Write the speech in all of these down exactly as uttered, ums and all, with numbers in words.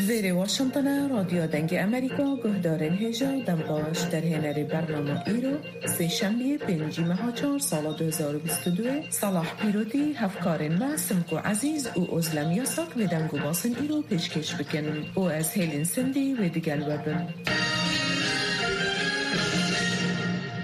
Vêrê Washington e, Radyo Dengê Amerîka, guhdarên hêja, dem baş. Derhênerê bernama îro, Sêşembiyê, pêncî meha çar, sala du hezar û bîst û du, Salah Pîrotî, hevkarên me Simko Ezîz û Ozlem Yasak vê deng û basên îro pêşkêş bikin û ez Hêlîn Sindî wê digel we bim.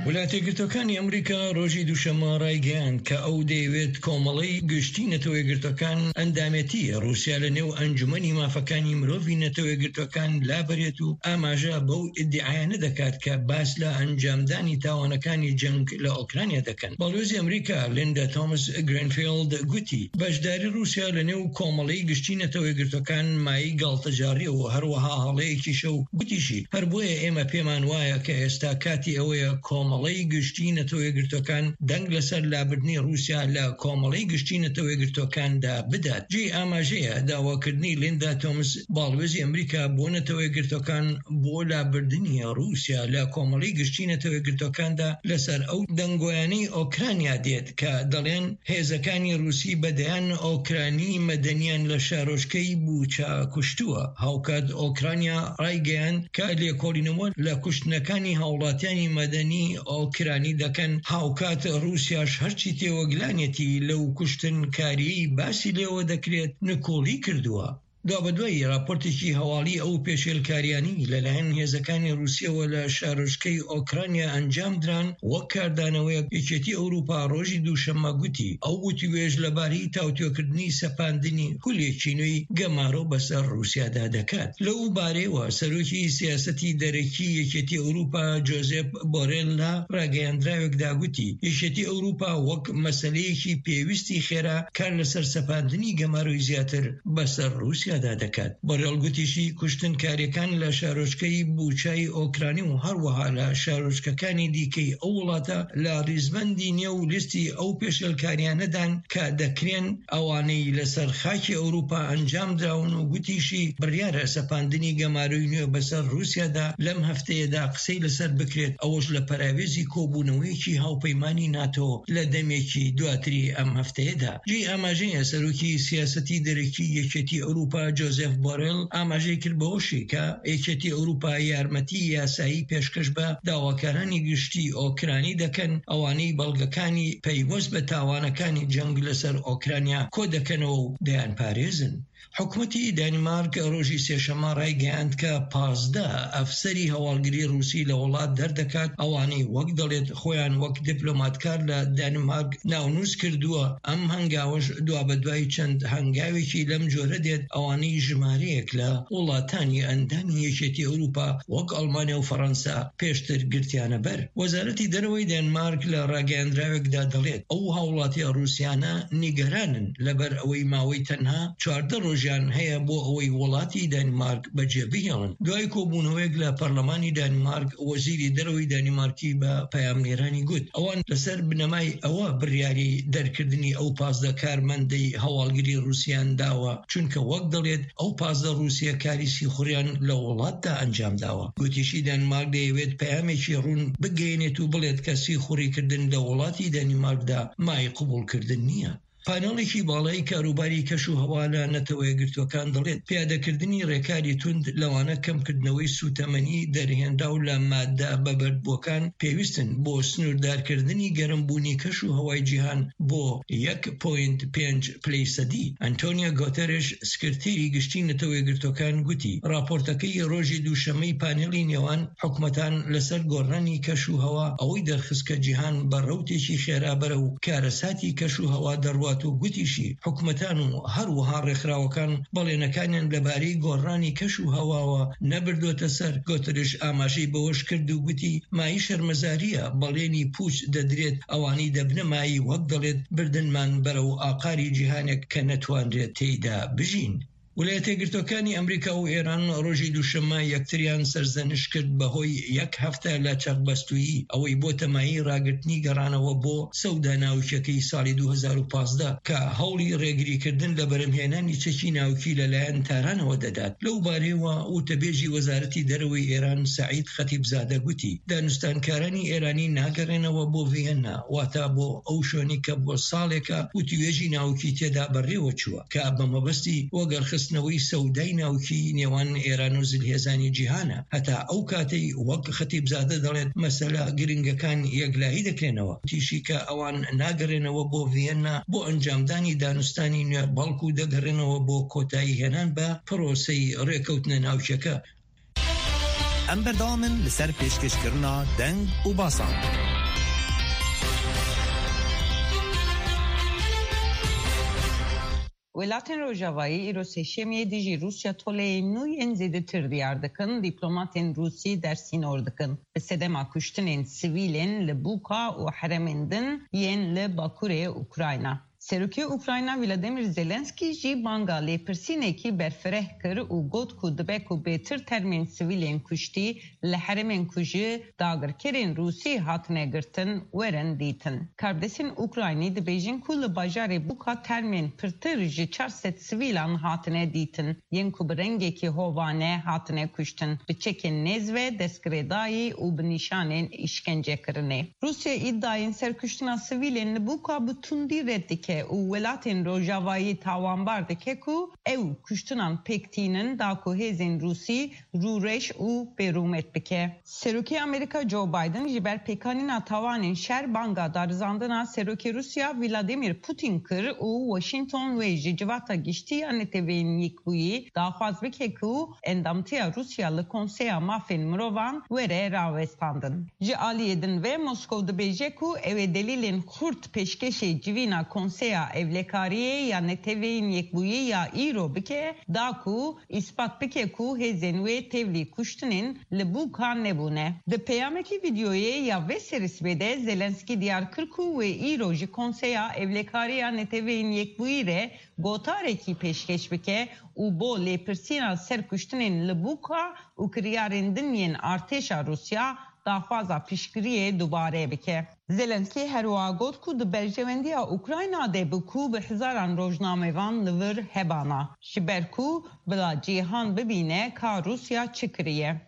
Welatê Girtokani Amerîka rojî Duşema raygeyand ke ew dêwêt Komeleyî Giştî Neto Yekgirtokan endamêtî Rûsya li nêw Encûmenî Mafekanî Mirovî Neto Yekgirtokan labirêt û amaje bew îdîaya nedekat ke bas li encamdanî tawanekanî ceng li Ukrayna dekin. Balwêzê Amerîka Linda Thomas Greenfield gotî, beşdarî Rûsya li nêw Komeleyî Giştî Neto Yekgirtokan mayî galtecarî û her wiha haleyekî şew. Gotî jî, her boye ême pêman waya ke êsta katî ew ye Komeleyî Giştî Neto Yekgirtokan deng li ser labirdinê Rûsya li Komeleyî Giştî Neto Yekgirtokan de bidat. Cihê amajê ye dawakirinî Linda Thomas, balwêzê Amerîka bo Neto Yekgirtokan bo labirdinê Rûsya li Komeleyî Giştî Neto Yekgirtokan de li ser ew dengoyanî Ukrayna dêt ke delên hêzekanî Rûsî bedeyan Ukraynî medeniyan li şarojkeyî Buça kuştuwe. Hawkat Ukrayna raygeyand ke lêkolînê wan li kuştinekanî hawlatiyanî medenî Ukraynî dekin. Hawkat Rûsya ji her çî têwe gilanetî lew kuştin karî basî lêwe dekirêt, nikolî kirduwe. Duabedwayî raportekî hewalî ew pêşêlkariyanî li layen hêzekanê Rûsyewe li şarojkeyî Ukrayna encam diran, wek kardanewêyek Yekêtî Ewropa rojî Duşema gotî, ew witîwêj li barî tawtiyokirnî sepandinî kulekî nûyî gemaro beser Rûsya de dekat. Lew barê we serokî siyasetî derekî Yekêtî Ewropa Josep Borrell la rageyandirawek da gotî, Yekêtî Ewropa wek meseleyekî pêwîstî xêra kar li ser sepandinî gemaroyî ziyadtir beser Rûsya de dekat. Borrell gotî jî, kuştinkarêkan li şarojkeyî Buçayî Okraynî û her wiha li şarojkekanê dîkeyî ew welata li rîzbendî nêw lîstî ew pêşelkariyan nedan ke dekirên ewaneyî li ser xakê Ewropa encam drawin û gotî jî, biryar e sepandinî gemaroyî nû beser Rûsya de lem hefteyê de qisey li ser bikirêt, ew ji li peravêzî kobûneweyekî hawpeymanî NATO li demekî duatirî em hefteyê de. Cî amajê ye serokî siyasetî derekî Yekêtî Ewropa Josep Borrell amajê kir bi hoşê ke Yekêtî Ewropa yarmetî yasayî pêşkêş be dawakaranî giştî Okraynî dekin, ewanî belgekanî peywest bi tawanekanî ceng li ser Okrayna ko dekenê û deyan parêzin. Hikûmetî Danimark rojî sêşema raygehand ke pazdeh efserî hewalgirî Rûsî li welat derdekat, ewanî wek delêt xweyan wek dîplomatkar li Danimark navnûs kirduwe. Em hengawe ji dua bi duayî çend hengawekî lem cûre dêt, ewanî jimareyek li welatanî endamî Yekêtî Ewropa wek Almanya û Fransa pêştir girtiyane ber. Wezaretî Dereweyî Danimark li rageyandirawek de delêt, ew hawlatiya Rûsiyane nîgeran in, li ber ewey mawey tenha çardeh rojan heye bo ewey welatî Danimark becê bihêlin. Duayî kobûnewek li Parlemanî Danimark, Wezîrî Dereweyî Danimarkî bi peyamnêranî got, ewan li ser binemayî ewa biryarî derkirdinî ew pazdeh karmendey hewalgirî Rûsiyan dawe, çunke wek delêt ew pazdeh Rûsiye karî sîxuriyan li welat de encam dawe. Gotî jî Danimark diyêwêt peyamekî rûn bigeyînêt û bilêt ke sîxurîkirdin li welatî Danimark de mayî qibûlkirdin niye. Panelekî balay karûbarî keş û hewa li Netewe Yekgirtuwekan delêt, piyadekirdinî rêkarî tund, lewane kemkirdinewey sûtemenî derhênraw li made bebirdbûkan pêwîst in bo snûrdarkirdinî gerimbûnî keş û hewayê cîhan bo yek point pênc pleysedî. Antonio Guterres, sekreterî giştî Netewe Yekgirtuwekan gotî, raportekeyî rojê Duşemeyî panelî nêwan hikûmetan li ser goranî keş û hewa ewî derxist ke cîhan bi rewtêkî xêra berew karesatî keş û hewa derwat û gotî jî, hikûmetan û her wiha rêkxirawekan belênekanên li barî goranî keş û hewa we nebirdote ser. Guterres amajî bi wiş kir û gotî, mayî şermezarî ye belênî pûç dedirêt, ewanî de binemayî wek delêt birdinman berew aqarî cîhanek ke netwanrêt têyda bijîn. ویلایەتە یەکگرتووەکانی ئەمریکا و ئێران ڕۆژی دووشەممە یەکتریان سەرزەنش کرد بەهۆی یەک هەفتە لە چەقبەستوویی، ئەوەی بۆ تەمایی ڕاگرتنی گەڕانەوە بۆ سەودا ناوکیەکەی ساڵی دوو هەزار و پازدە، کە هەوڵی ڕێگریکردن لە بەرهەمهێنانی چەکی ناوکی لەلایەن تارانەوە دەدات. لەو بارەیەوە وتەبێژی وەزارەتی دەرەوەی ئێران سەعید خەتیبزادە گوتی، دانوستانکارانی ئێرانی ناگەڕێنەوە بۆ ڤیەننا، واتە بۆ ئەو شوێنی کە بۆ ساڵێکە وتوێژی ناوکی تێدا بەڕێوە چووە، کە بە مەبەستی وەگەڕخستنەوەی سەودای ناوکی نێوان ئێران و زلهێزانی جیهانە. هەتا ئەو کاتەی، وەک خەتیبزادە دەڵێت، مەسەلە گرنگەکان یەکلایی دەکرێنەوە. تیشی کە ئەوان ناگەڕێنەوە بۆ ڤیەننا بۆ ئەنجامدانی دانوستانی نوێ، بەڵکو دەگەڕێنەوە بۆ کۆتایی هێنان بە پرۆسەی ڕێکەوتنە ناوکیەکە. ئەم بەردەوامن لەسەر پێشکەشکردنا دەنگ و باسان. Welatên Rojavayî îro sêşemiyê dijî Rûsya toleyên nû yên zêdetir diyar dikin, dîplomatên Rûsî dersînor dikin. Bi sedema kuştinên sivîlên li bûka û heremên din yên li bakurê Ukrayna. Serokê Ukrayna Volodymyr Zelensky jî banga lêpirsînekî berfireh kir û got ku dibe ku bêtir termên sivîlên kuştî li herêmên ku ji dagirkerên Rûsî hatine girtin werin dîtin. Karbidestên Ukraynî dibêjin ku li bajarê Buka termên pirtir ji çar sed sivîlan hatine dîtin, yên ku bi rengekî hovane hatine kuştin, bi çekên nêz ve destgirêdayî û bi nîşanên îşkencekirinê. Rûsya îdayên serkuştina sivîlên li Buka bi tundî red dike û welatên Rojavayî tawanbar dike ku ew kuştinan pêk tînin da ku hêzên Rûsî rûreş û bêrûmet bike. Serokê Amerîka Joe Biden ji ber pêkanîna tawanên şer banga darizandina Serokê Rûsya Vladimir Putin kir û Washington wê ji Civata Giştî ya Neteweyên Yekbûyî daxwaz bike ku endamtiya Rûsya li Konseya Mafên Mirovan were rawestandin. Ji aliyê din ve Moskow dibêje ku ew ê delîlên xurt pêşkêşê civîna Konseya Ewlekariyê ya Neteweyên Yekbûyî ya îro bike, da ku îspat bike ku hêzên wê tevlî kuştinên li Buka nebûne. Di peyamekî vîdeoyê ya vê serîsbê de Zelensky diyar kir ku wê îro ji Konseya Ewlekariya Neteweyên Yekbûyî re gotarekî pêşkêş bike û bo lêpirsîna ser kuştinên li Buka û kiryarên din yên artêşa Rûsya daxwaza piştgiriyê dubare bike. Zelensky her wiha got ku di berjewendiya Ukrayna de bû ku bi hezaran rojnamevan li vir hebana, ji ber ku bila cîhan bibîne ka Rûsya çi kiriye.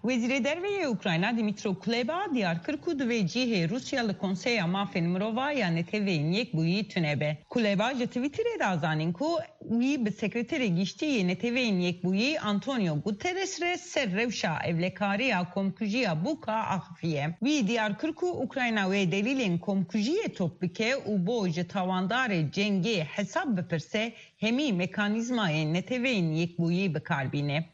Wezîrê Derve yê Ukrayna Dmytro Kuleba diyar kir ku divê cihê Rûsya li Konseya Mafên Mirova ya Neteweyên Yekbûyî tune be. Kuleba ji Twitterê da zanîn ku wî bi Sekreterê Giştî yê Neteweyên Yekbûyî Antonio Guterres re ser rewşa ewlekariya komkujiya Buka axifiye. Wî diyar kir ku Ukrayna wê delîlên komkujiyê top bike û bo ji tawandarê cengê hesab bipirse, hemî mekanîzmayên Neteweyên Yekbûyî bi kar bîne.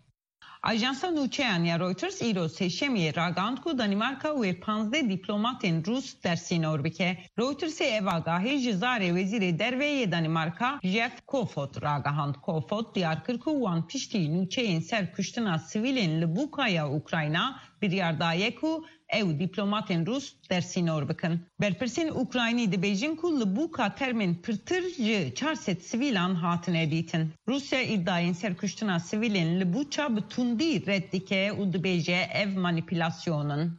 Ajansa nûçeyan ya Reuters îro sêşemiyê ragihand ku Danîmarka wê panzdeh dîplomatên Rûs dersînor bike. Reutersê ev agahî ji zarê Wezîrê Derve yê Danîmarka Jeff Kofod ragihand. Kofod diyar kir ku wan piştî nûçeyên ser kuştina sivîlên li Buka ya Ukrayna biryar daye ku ew dîplomatên Rûs dersînor bikin. Berpirsên Ukraynî dibêjin ku li Buka termên pirtir ji çar sed sivîlan hatine dîtin. Rûsya îdayên serkuştina sivîlên li Buça bi tundî red dike û dibêje ev manîpulasyon in.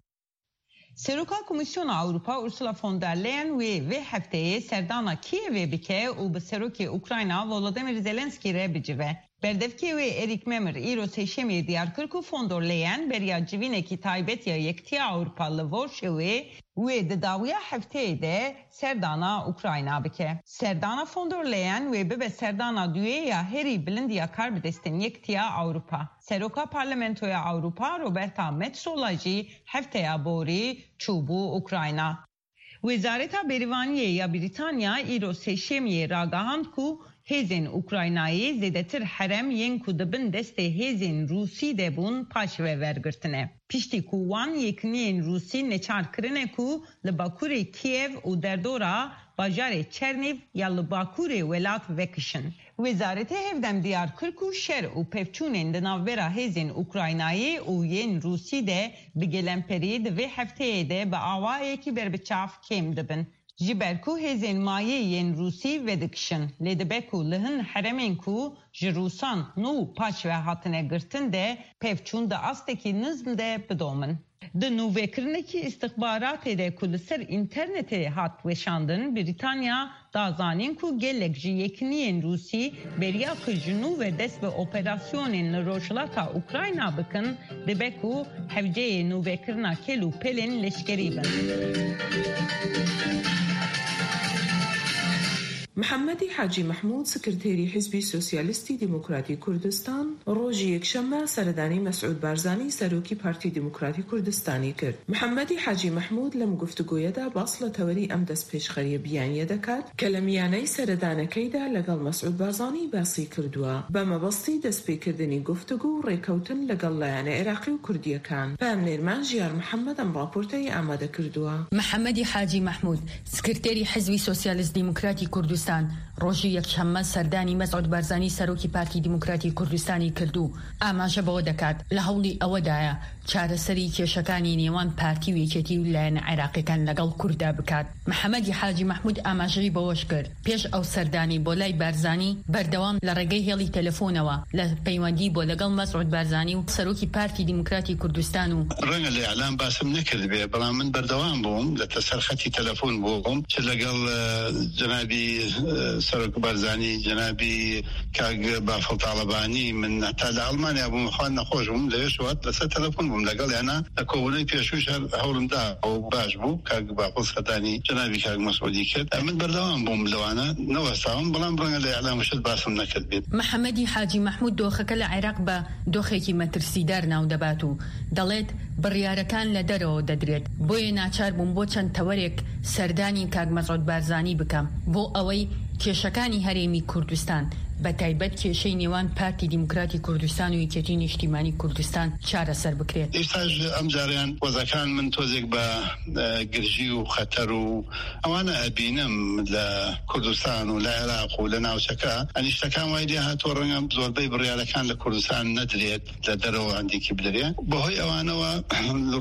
Seroka Komîsyona Ewropa Ursula von der Leyen wê vê hefteyê serdana Kîevê bike û bi Serokê Ukrayna Volodymyr Zelensky re bicive. Berdevkê wê Erîk Memir îro sêşemiyê diyar kir ku von der Leyen beriya civînekî taybet ya Yekitiya Ewropa li Warşewê wê di dawiya hefteyê de serdana Ukrayna bike. Serdana von der Leyen wê bibe serdana duyê ya herî bilind ya karbidestên Yekitiya Ewropa. Seroka Parlamentoya Ewropa Roberta Metsola jî hefteya borî çûbû Ukrayna. Wezareta Bêrîvaniyê ya Brîtanya îro sêşemiyê ragihand ku hêzên Ukraynayê zêdetir herem yên ku di bin destê hêzên Rûsî de bûn paşve wergirtine. Piştî ku wan yekîniyên Rûsî neçar kirine ku li bakurê Kîev û derdora bajarê Çernîv ya li bakurê welat vekişin. Wezareta Hevdem diyar kir ku şer û pevçûnên di navbera hêzên Ukraynayê û yên Rûsî de bi gelemperî di vê hefteyê de bi awayekî berbiçav kêm dibin. Ji ber ku hêzên mayî yên Rûsî vedikişin, lê dibe ku li hin herêmên ku ji Rûsan nû paş ve hatine girtin de pevçûn di astekî nizm de bidomin. Di nûvekirinekî îstixbaratê de ku li ser înternetê hat weşandin, Brîtanya da zanîn ku gelek ji yekîniyên Rûsî beriya ku ji nû ve dest bi operasyonên li rojhilata Ukrayna bikin, dibe ku hewceyê nûvekirina kêl û pelên leşkerî bin. Mihemedî Hacî Mehmûd, sekreterî Hizbî Sosyalîstî Demokratî Kurdistan, rojî Yekşembe seredanî Mesûd Barzanî, serokî Partî Demokratî Kurdistanî kir. Mihemedî Hacî Mehmûd lem guftûgoyê de bas li tewerî em destpêşxeriyê biyaniye dekat, ke li miyaney seredanekey de legel Mesûd Barzanî basî kirduwa. Bi mebestî destpêkirdinî guftûgo û rêkewtin legel layanê Iraqî û Kurdiyekan. Peyamnêr me Jiyar Mihemed em raporteyê amade kirduwa. Mihemedî Hacî Mehmûd, sekreterî Hizbî Sosyalîst Demokratî Kurdistan, rojî Yekşembe serdanî Mesûd Barzanî, serokî Partî Demokratî Kurdistanî kird û amaje bi we dekat, li hewlî ewe daye çareserî kêşekanî nêwan partî û yekêtî û layên Iraqîkan legel Kurda bikat. Mihemedî Hacî Mehmûd amajeyî bi we jî kir. Pêş ew serdanî bo lay Barzanî berdewam li regey hêlî telefonewa li peywendî bo legel Mesûd Barzanî û serokî Partî Demokratî Kurdistan û Renge li îlan basim nekirdibe, belam min berdewam bûm, li te ser xetî telefon bûm, çi legel, e, cenabî, e, Serok Barzanî, cenabî Kak Bafil Talebanî, min heta li Almanya bûm, xwe nexweş bûm, li wê şewat li ser telefon bûm, legel yana li kobûney pêşû jî her hewlim da û baş bû, Kak Bafil serdanî cenabî Kak Mesûdî kir. E, min berdewam bûm li wana, newestawim, belam renge li îlan û şit basim nekirdibe. Mihemedî Hacî Mehmûd doxeke li Iraq bi doxekî metirsîdar nav debat û دەڵێت، بڕیارەکان لە دەرەوە دەدرێت، بۆیە ناچار بووم بۆ چەند تەوەرێک سەردانی کاک مەسعود بارزانی بکەم، بۆ ئەوەی کێشەکانی هەرێمی کوردستان، بە تایبەت کێشەی نێوان پارتی دیموکراتی کوردستان و یەکێتی نیشتیمانی کوردستان چارەسەر بکرێت. ئێستاش ئەم جاریان وەزەکان من تۆزێک بە، ئە، گرژی و خەتەر و ئەوانە ئەبینم لە کوردستان و لە عێراق و لە ناوچەکە. ئەنیشتەکان وای لێ هاتووە، ڕەنگە زۆربەی بڕیارەکان لە کوردستان نەدرێت، لە دەرەوە هەندێکی بدرێ. بەهۆی ئەوانەوە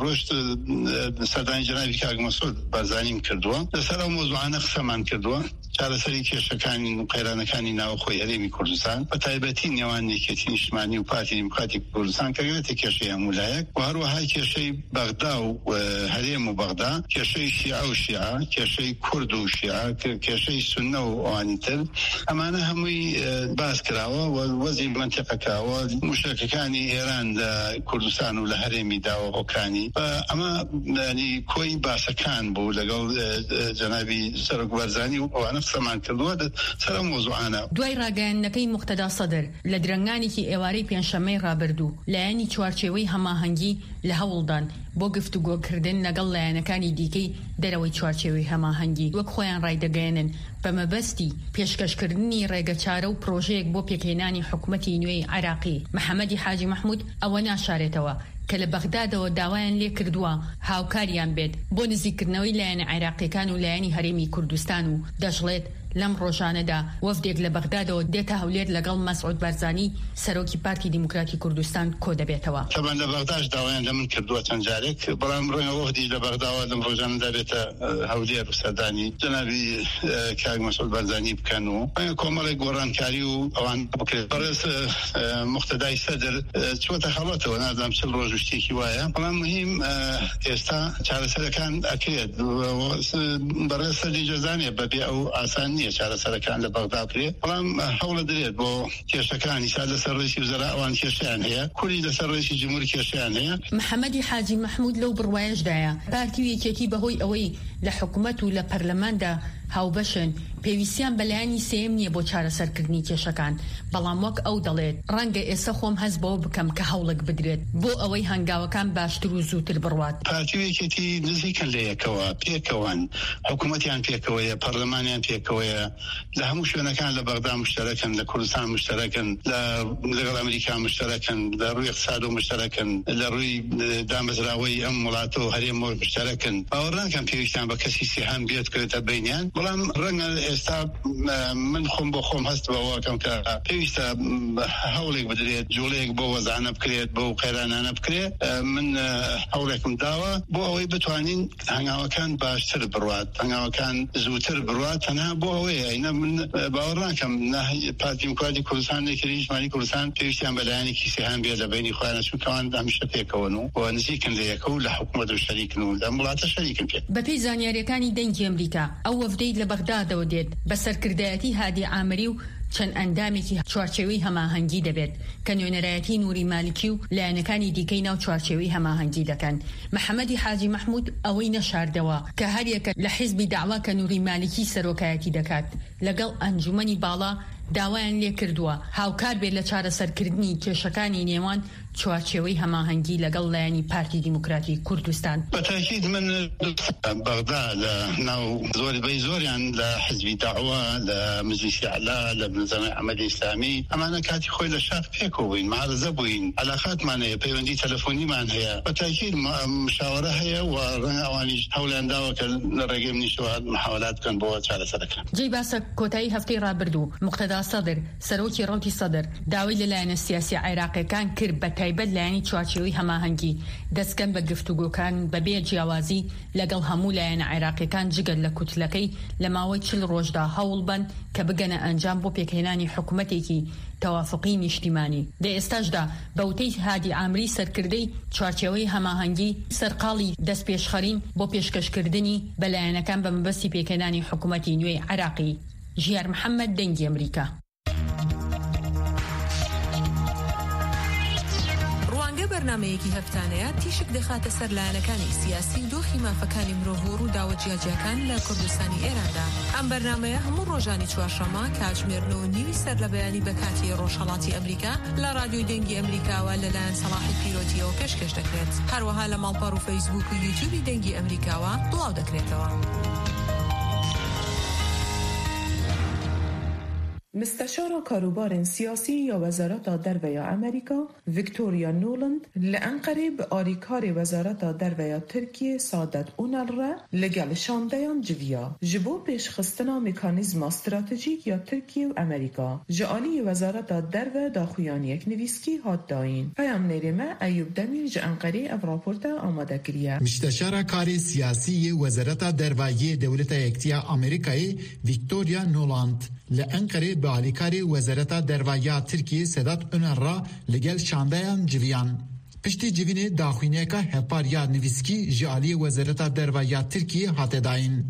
ڕۆشت، ئە، سەردانی جەنابی کاک مەسعود بارزانیم کردووە. لەسەر ئەو مۆزوعانە قسەمان کردووە. چارەسەری کێشەکانی و قەیرانەکانی ناوخۆی هەرێمی کوردستان، بە تایبەتی نێوان یەکێتی نیشتمانی و پارتی دیموکراتی کوردستان، کە گرێتە کێشەی هەموو لایەک و هەروەها کێشەی بەغدا و، ئە، هەرێم و بەغدا، کێشەی شیعە و شیعە، کێشەی کورد و شیعە، کێ-، کێشەی سوننە و ئەوانی تر. ئەمانە هەمووی، ئە، باس کراوە و وەزی منتیقەکە و موشەکەکانی ئێران لە کوردستان و لە هەرێمی داوە هۆکانی. ئە، ئەمە، یعنی، کۆی باسەکان بوو لەگەڵ، ئە، ئە، جەنابی سەرۆک بارزانی و ئەوانە قسەمان کردووە لە سەر ئەم مۆزوعانە. دوای ڕاگەیاندنەکەی موقتەدا سەدر لە درەنگانێکی ئێوارەی پێنجشەممەی ڕابردوو، لایەنی چوارچێوەی هەماهەنگی لە هەوڵدان بۆ گفتوگۆکردن لەگەڵ لایەنەکانی دیکەی دەرەوەی چوارچێوەی هەماهەنگی، وەک خۆیان ڕایدەگەیەنن، بە مەبەستی پێشکەشکردنی ڕێگەچارە و پرۆژەیەک بۆ پێکهێنانی حکومەتی نوێی عێراقی. محەممەدی حاجی مەحموود ئەوە ناشارێتەوە کە لە بەغدادەوە داوایان لێ کردووە هاوکاریان بێت بۆ نزیککردنەوەی لایەنە عێراقیەکان و لایەنی هەرێمی کوردستان و دەشڵێت، لەم ڕۆژانەدا وەفدێک لە بەغدادەوە دێتە هەولێر لەگەڵ مەسعود بارزانی، سەرۆکی پارتی دیموکراتی کوردستان، کۆ دەبێتەوە. تەبەن لە بەغداش داوایان لە من کردووە چەند جارێک، بەڵام ڕەنگە وەفدیش لە بەغداوە لەم ڕۆژانەدا بێتە، ئە، هەولێر و سەردانی جەنابی، ئە، کاک مەسعود بارزانی بکەن و ڕەنگە کۆمەڵێک گۆڕانکاری و ئەوان بکرێت. بەڕێز، ئە، ئە، موقتەدای سەدر، ئە، چووەتە خەڵەتەوە، نازانم چل ڕۆژ و شتێکی وایە، بەڵام مهم، ئە، ئێستا چارەسەرەکان ئەکرێت. و، و، س-، بەڕێز سەدی جەزانێ بەبێ ئەو ئاسان نییە چارەسەرەکان لە بەغدا بکرێت، بەڵام، ئە، هەوڵە درێت بۆ کێشەکانی سا لەسەر ڕێکی وزەرا ئەوان کێشیان هەیە، کوری لەسەر ڕێکی جمهور کێشیان هەیە. محەممەدی حاجی مەحموود لەو بڕوایەشدایە، پارتی و یەکێتی بەهۆی ئەوەی لە حکومەت و لە پەرلەماندا هاوبەشن، پێویستیان بە لایەنی سێیەم نییە بۆ چارەسەرکردنی کێشەکان، بەڵام وەک ئەو دەڵێت، ڕەنگە ئێستا خۆم هەست بەوە بکەم کە هەوڵێک بدرێت بۆ ئەوەی هەنگاوەکان باشتر و زووتر بڕوات. پارتی و یەکێتی نزیکن لە یەکەوە، پێکەوەن، حکوومەتیان پێکەوەیە، پەرلەمانیان پێکەوەیە، لە هەموو شوێنەکان، لە بەغدا مشتەرەکن، لە کوردستان مشتەرەکن، لە، لەگەڵ ئەمریکا مشتەرەکن، لە ڕووی اقتصاد و مشتەرەکن، لە ڕووی، ئە، دامەزراوەی ئەم وڵاتە و هەرێم و مشتەرەکن. باوەڕ ناکەم پێویستیان بە کەسی سێهەم بێت کەوێتە بینیان. بەڵام ڕەنگە ئێستا، ئە، من خۆم بۆ خۆم هەست بەوە کەم کە پێویستە، ئە، هەوڵێک بدرێت، جوڵەیەک بۆ وەزانە بکرێت، بۆ قەیرانانە بکرێت. ئە، من، ئە، هەوڵێکم داوە بۆ ئەوەی بتوانین هەنگاوەکان باشتر بڕوات، هەنگاوەکان زووتر بڕوات. تەنها بۆ ئەوەیە، ئینە من، ئە، باوەڕ ناکەم نە پارتی دیموکراتی کوردستان، نە یەکێتی نیشتمانی کوردستان پێویستیان بە لایەنێکی سێهەم بێت لە بینی خۆیان، چونکە ئەوان هەمیشە پێکەوەن و نزیکن لە یەکە و لە حکوومەت و شەریکن و لەم وڵاتە شەریکن پێ. بە پێی زانیاریەکانی دەنگی ئەمریکا، ئەو وەفدەی لە بەغدادەوە دێت بە سەرکردایەتی هادی ئامری و چەند ئەندامێکی چوارچێوەی هەماهەنگی دەبێت کە نوێنەرایەتی نوری مالکی و لایەنەکانی دیکەی ناو چوارچێوەی هەماهەنگی دەکەن. محەممەدی حاجی مەحموود ئەوەی نەشاردەوە کە هەر یەکە لە حیزبی داوا کە نوری مالکی سەرۆکایەتی دەکات، لەگەڵ ئەنجومەنی باڵا داوایان لێ کردووە هاوکار بێت لە چارەسەرکردنی کێشەکانی نێوان چوارچێوەی هەماهەنگی لەگەڵ لایەنی پارتی دیموکراتی کوردستان. بە تاکید من بەغدا لە ناو زۆر بەی زۆریان لە حزبی داوا، لە مجلیسی ئەعلا، لە بنزەمای ئەحمەدی ئیسلامی، ئەمانە کاتی خۆی لە شاخ پێکەوە بووین، مەعارەزە بووین، عەلاقاتمان هەیە، پەیوەندی تەلەفۆنیمان هەیە. بە تاکید مە-، مشاوەرە هەیە و ڕەنگە ئەوانیش هەوڵیان داوە کە لە ڕێگەی منیشەوە محاولات بکەن بۆ چارەسەرەکە. جێی باسە، کۆتایی هەفتەی ڕابردوو مقتەدا سەدر، سەرۆکی ڕەوتی سەدر، داوای لە لایەنە سیاسی عێراقیەکان کرد، بە تایبەت لایەنی چوارچێوەی هەماهەنگی، دەستکەن بە گفتوگۆکان بەبێ جیاوازی لەگەڵ هەموو لایەنە عێراقیەکان جگە لە کوتلەکەی لە ماوەی چل ڕۆژدا هەوڵ بەن کە بگەنە ئەنجام بۆ پێکهێنانی حکوومەتێکی تەوافقی نیشتیمانی. لە ئێستاشدا بە وتەی هادی ئامری سەرکردەی چوارچێوەی هەماهەنگی، سەرقاڵی دەستپێشخەرین بۆ پێشکەشکردنی بە لایەنەکان بە مەبەستی پێکهێنانی حکوومەتی نوێی عێراقی. ژیار محەممەد، دەنگی ئەمریکا. ڕوانگە بەرنمەیەکی هەفتانەیە تیشک دەخاتە سەر لایەنەکانی سیاسی و دۆخی مافەکانی مرۆڤ و ڕووداوە جیاجیاکان لە کوردستانی ئێراندا. ئەم بەرنمەیە هەموو ڕۆژانی چوارشەممە کاتژمێر نۆ و نیوی سەر لە بەیانی بە کاتی ڕۆژهەڵاتی ئەمریکا لە ڕادیۆی دەنگی ئەمریکاوە لەلایەن سەڵاحی پیرۆتیەوە پێشکەش دەکرێت. هەروەها لە ماڵپەڕ و فەیسبوک و یوتیوبی دەنگی ئەمریکاوە بڵاو دەکرێتەوە. Misteşara Karûbarên Siyasî ya Wezareta Derve ya Amerîka, Victoria Nuland, li Enqerê bi alîkarê Wezareta Derve ya Tirkiyê Saadet Onal re li gel şandeyan civiya. Ji bo pêşxistina mekanîzma stratejîk ya Tirkiye û Amerîka, ji aliyê Wezareta Derve daxuyaniyek nivîskî hat dayîn. Peyamnêrê me Eyûb Demîr ji Enqerê ev raporte amade kiriye. Misteşara Karê Siyasî yê Wezareta Derve yê Dewleta Yektiya Amerîkayê Victoria Nuland, li Enqerê bi alîkarê Wezareta Derve ya Tirkiyê Sedat Onal re li gel şandeyan civiyan. Piştî civînê daxuyaniyeka hevpar ya nivîskî ji aliyê Wezareta Derve ya Tirkiyê hate dayîn.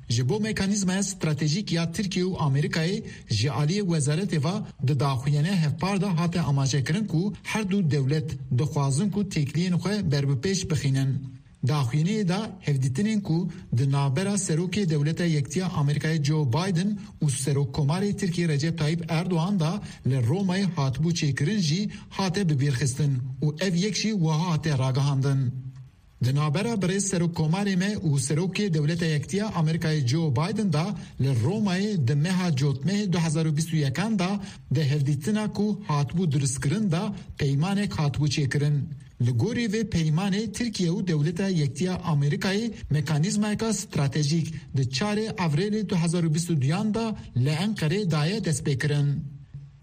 Ji bo mekanîzmaya stratejîk ya Tirkiye û Amerîkayê ji aliyê wezaretê ve di daxuyaniya hevpar de hate amajekirin ku her du dewlet dixwazin ku têkiliyên xwe berbipêş bixînin. Daxuyaniyê de hevdîtinên ku di navbera Serokê Dewleta Yektiya Amerîkayê Joe Biden û Serokkomarê Tirkiyê Recep Tayyip Erdogan de li Romayê hatibû çêkirin jî hate bibîrxistin û ev yek jî wiha hate ragihandin. Di navbera birêz Serokkomarê me û Serokê Dewleta Yektiya Amerîkayê Joe Biden de li Romayê di meha Cotmehê du hezar û bîst û yekan de di hevdîtina ku hatibû dirustkirin de peymanek hatibû çêkirin. Li gorî vê peymanê Tirkiye û Dewleta Yektiya Amerîkayê mekanîzmayeka stratejîk di çarê Avrêlê du hezar û bîst û duyan de li Enqerê daye destpêkirin.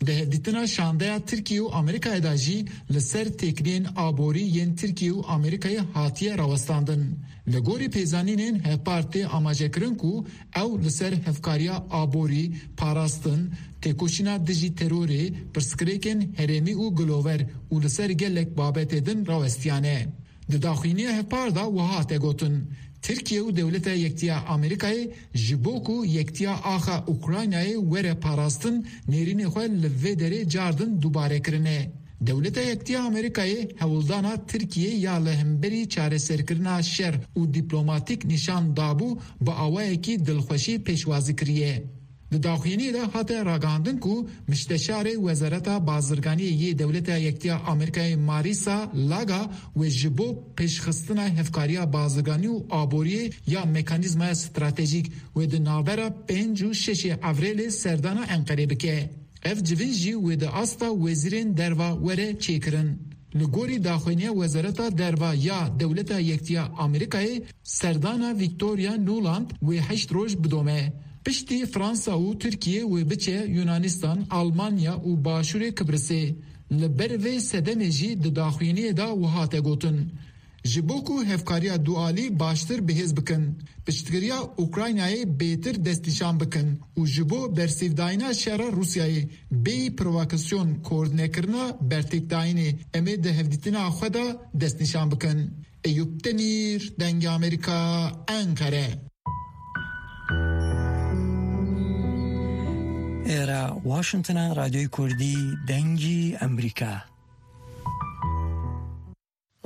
Di hevdîtina şandeya Tirkiye û Amerîkayê de jî li ser têkiliyên aborî yên Tirkiye û Amerîkayê hatiye rawestandin. Li gorî pêzanînên hevpar tê amajekirin ku ew li ser hevkariya aborî, parastin, têkoşîna dijî terorê, pirsgirêkên herêmî û gilover û li ser gelek babetê din rawestiyane. Di daxuyaniya hevpar de wiha hate gotin, Tirkiye û Dewleta Yektiya Amerîkayê ji bo ku yektiya axa Ukraynayê were parastin, nêrînê xwe li vê derê car din dubare kirine. Dewleta Yektiya Amerîkayê hewldana Tirkiyê ya li hemberî çareserkirina şer û dîplomatîk nîşan dabû, bi awayekî dilxweşî pêşwazî kiriye. Di daxuyaniyê de hate ragihandin ku Mişteşarê Wezareta Bazirganiyê yê Dewleta Yektiya Amerîkayê Marisa Laga wê ji bo pêşxistina hevkariya bazirganî û aboriyê ya mekanîzmaya stratejîk wê di navbera pênc û şeşê Evrêlê serdana Enqerê bike. Ev civîn jî wê di asta wezîrên derva were çêkirin. Li gorî daxuyaniya Wezareta Derve ya Dewleta Yektiya Amerîkayê, serdana Victoria Nuland wê heşt roj bidome. Piştî Fransa û Tirkiye wê biçe Yunanistan, Almanya û Başûrê Kibrisê. Li ber vê sedemê jî di daxuyaniyê de wiha hate gotin: Ji bo ku hevkariya dualî baştir bihêz bikin, piştgiriya Ukraynayê bêtir destnîşan bikin û ji bo bersîvdayîna şera Rûsyayê bêyî provokasyon koordînekirina bertêkdayînê, em ê di hevdîtina xwe de destnîşan bikin. Eyûp Demîr, Dengê Amerîka, Enqere. ئێرە واشنگتنە، ڕادیۆی کوردی دەنگی ئەمریکا.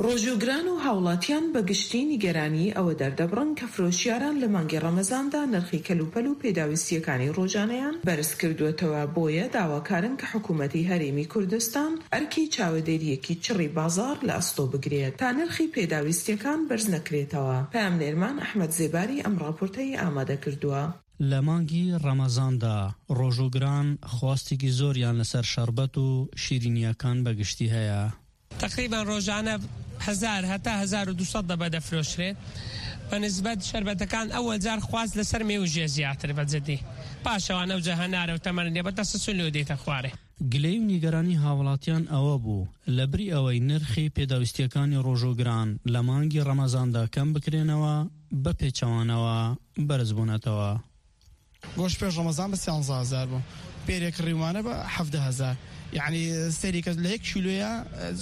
ڕۆژوگران و هاوڵاتیان بە گشتی نیگەرانی ئەوە دەردەبڕن کە فرۆشیاران لە مانگی ڕەمەزاندا نرخی کەلوپەل و پێداویستیەکانی ڕۆژانەیان بەرز کردووەتەوە، بۆیە داواکارن کە حکوومەتی هەرێمی کوردستان ئەرکی چاوەدێریەکی چڕی بازار لە ئەستۆ بگرێت تا نرخی پێداویستیەکان بەرز نەکرێتەوە. پەیامنێرمان ئەحمەد زێباری ئەم ڕاپۆرتەی ئامادە کردووە. لە مانگی ڕەمەزاندا ڕۆژوگران خواستێکی زۆریان لەسەر شەربەت و شیرینیەکان بەگشتی هەیە. تقریباً ڕۆژانە هەزار هەتا هەزار و دوو سەد دەبە دەفرۆشرێت. بە نسبەت شەربەتەکان ئەوەل جار خواست لەسەر مێوژێ زیاتر بە جدی. پاشەوان ئەو جە هەنارە و تەمەرنێ بە تەسەسول لێ دێتە خوارێ. گلەی و نیگەرانی هاوڵاتیان ئەوە بوو، لە بری ئەوەی نرخی پێداویستیەکانی ڕۆژوگران لە مانگی ڕەمەزاندا کەم بکرێنەوە، بە پێچەوانەوە بەرزبوونەتەوە. گۆشت پێش ڕەمەزان بە سیانزە هەزار بوو. پێرێک ڕیوانە بە حەڤدە هەزار. یعنی، سەیری کە لە یەک کیلۆیە،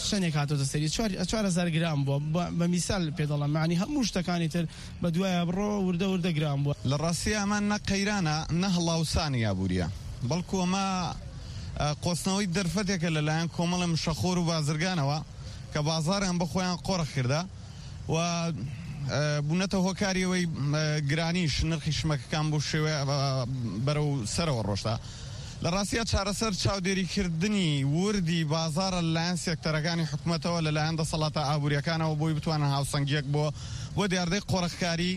چەندێک هاتۆتە سەری؟ چوار، چوار هەزار گرام بووە. بە، بە میسال پێ دەڵێم، یعنی، هەموو شتەکانی تر بە دوایە بڕۆ وردە وردە گرام بووە. لە ڕاستی ئەمە نە قەیرانە، نە هەڵاوسانی ئابووریە، بەڵکو ئەمە، ئە، قۆستنەوەی دەرفەتێکە لەلایەن کۆمەڵە مشەخۆر و بازرگانەوە کە بازاریان بە خۆیان قۆرخ کردە و، ئە، بوونەتە هۆکاری ئەوەی، ئە، گرانیش نرخی شمەکەکان بۆ شێوەیە، ئە، بەرەو سەرەوە ڕۆشتە. لە ڕاستیە چارەسەر چاودێریکردنی وردی بازارە لەلایەن سێکتەرەکانی حکوومەتەوە، لەلایەن دەسەڵاتە ئابووریەکانەوە بۆی بتوانن هاوسەنگیەک بۆ، بۆ دیاردەی قۆرخکاری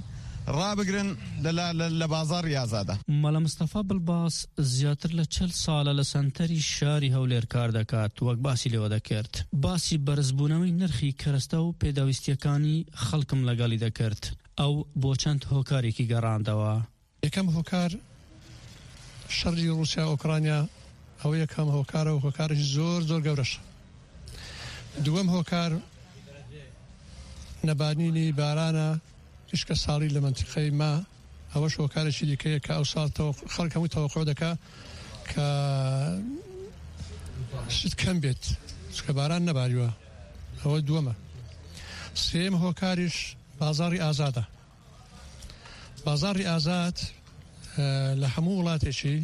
ڕابگرن لە، لە، لە، لە بازاڕی ئازادە. مەلا مستەفا بڵباس زیاتر لە چل ساڵە لە سەنتەری شاری هەولێر کار دەکات، وەک باسی لێوە دەکرد. باسی بەرزبوونەوەی نرخی کەرەستە و پێداویستیەکانی خەڵکم لەگەڵی دەکرد. ئەو بۆ چەند هۆکارێکی گەڕاندەوە. یەکەم هۆکار شەڕی ڕووسیا ئۆکرانیا، ئەوە یەکەم هۆکارە و هۆکارێکی زۆر، زۆر گەورەشە. دووەم هۆکار نەبارینی بارانە تیشکە ساڵی لە مەنتیقەی ما، ئەوەش هۆکارێکی دیکەیە کە ئەو ساڵ تەوەق-، خەڵک هەموو تەوەقع دەکا کە شت کەم بێت، چونکە باران نەباریوە. ئەوە دووەمە. سێم هۆکاریش بازاڕی ئازادە. بازاڕی ئازاد، ئە، لە هەموو وڵاتێکی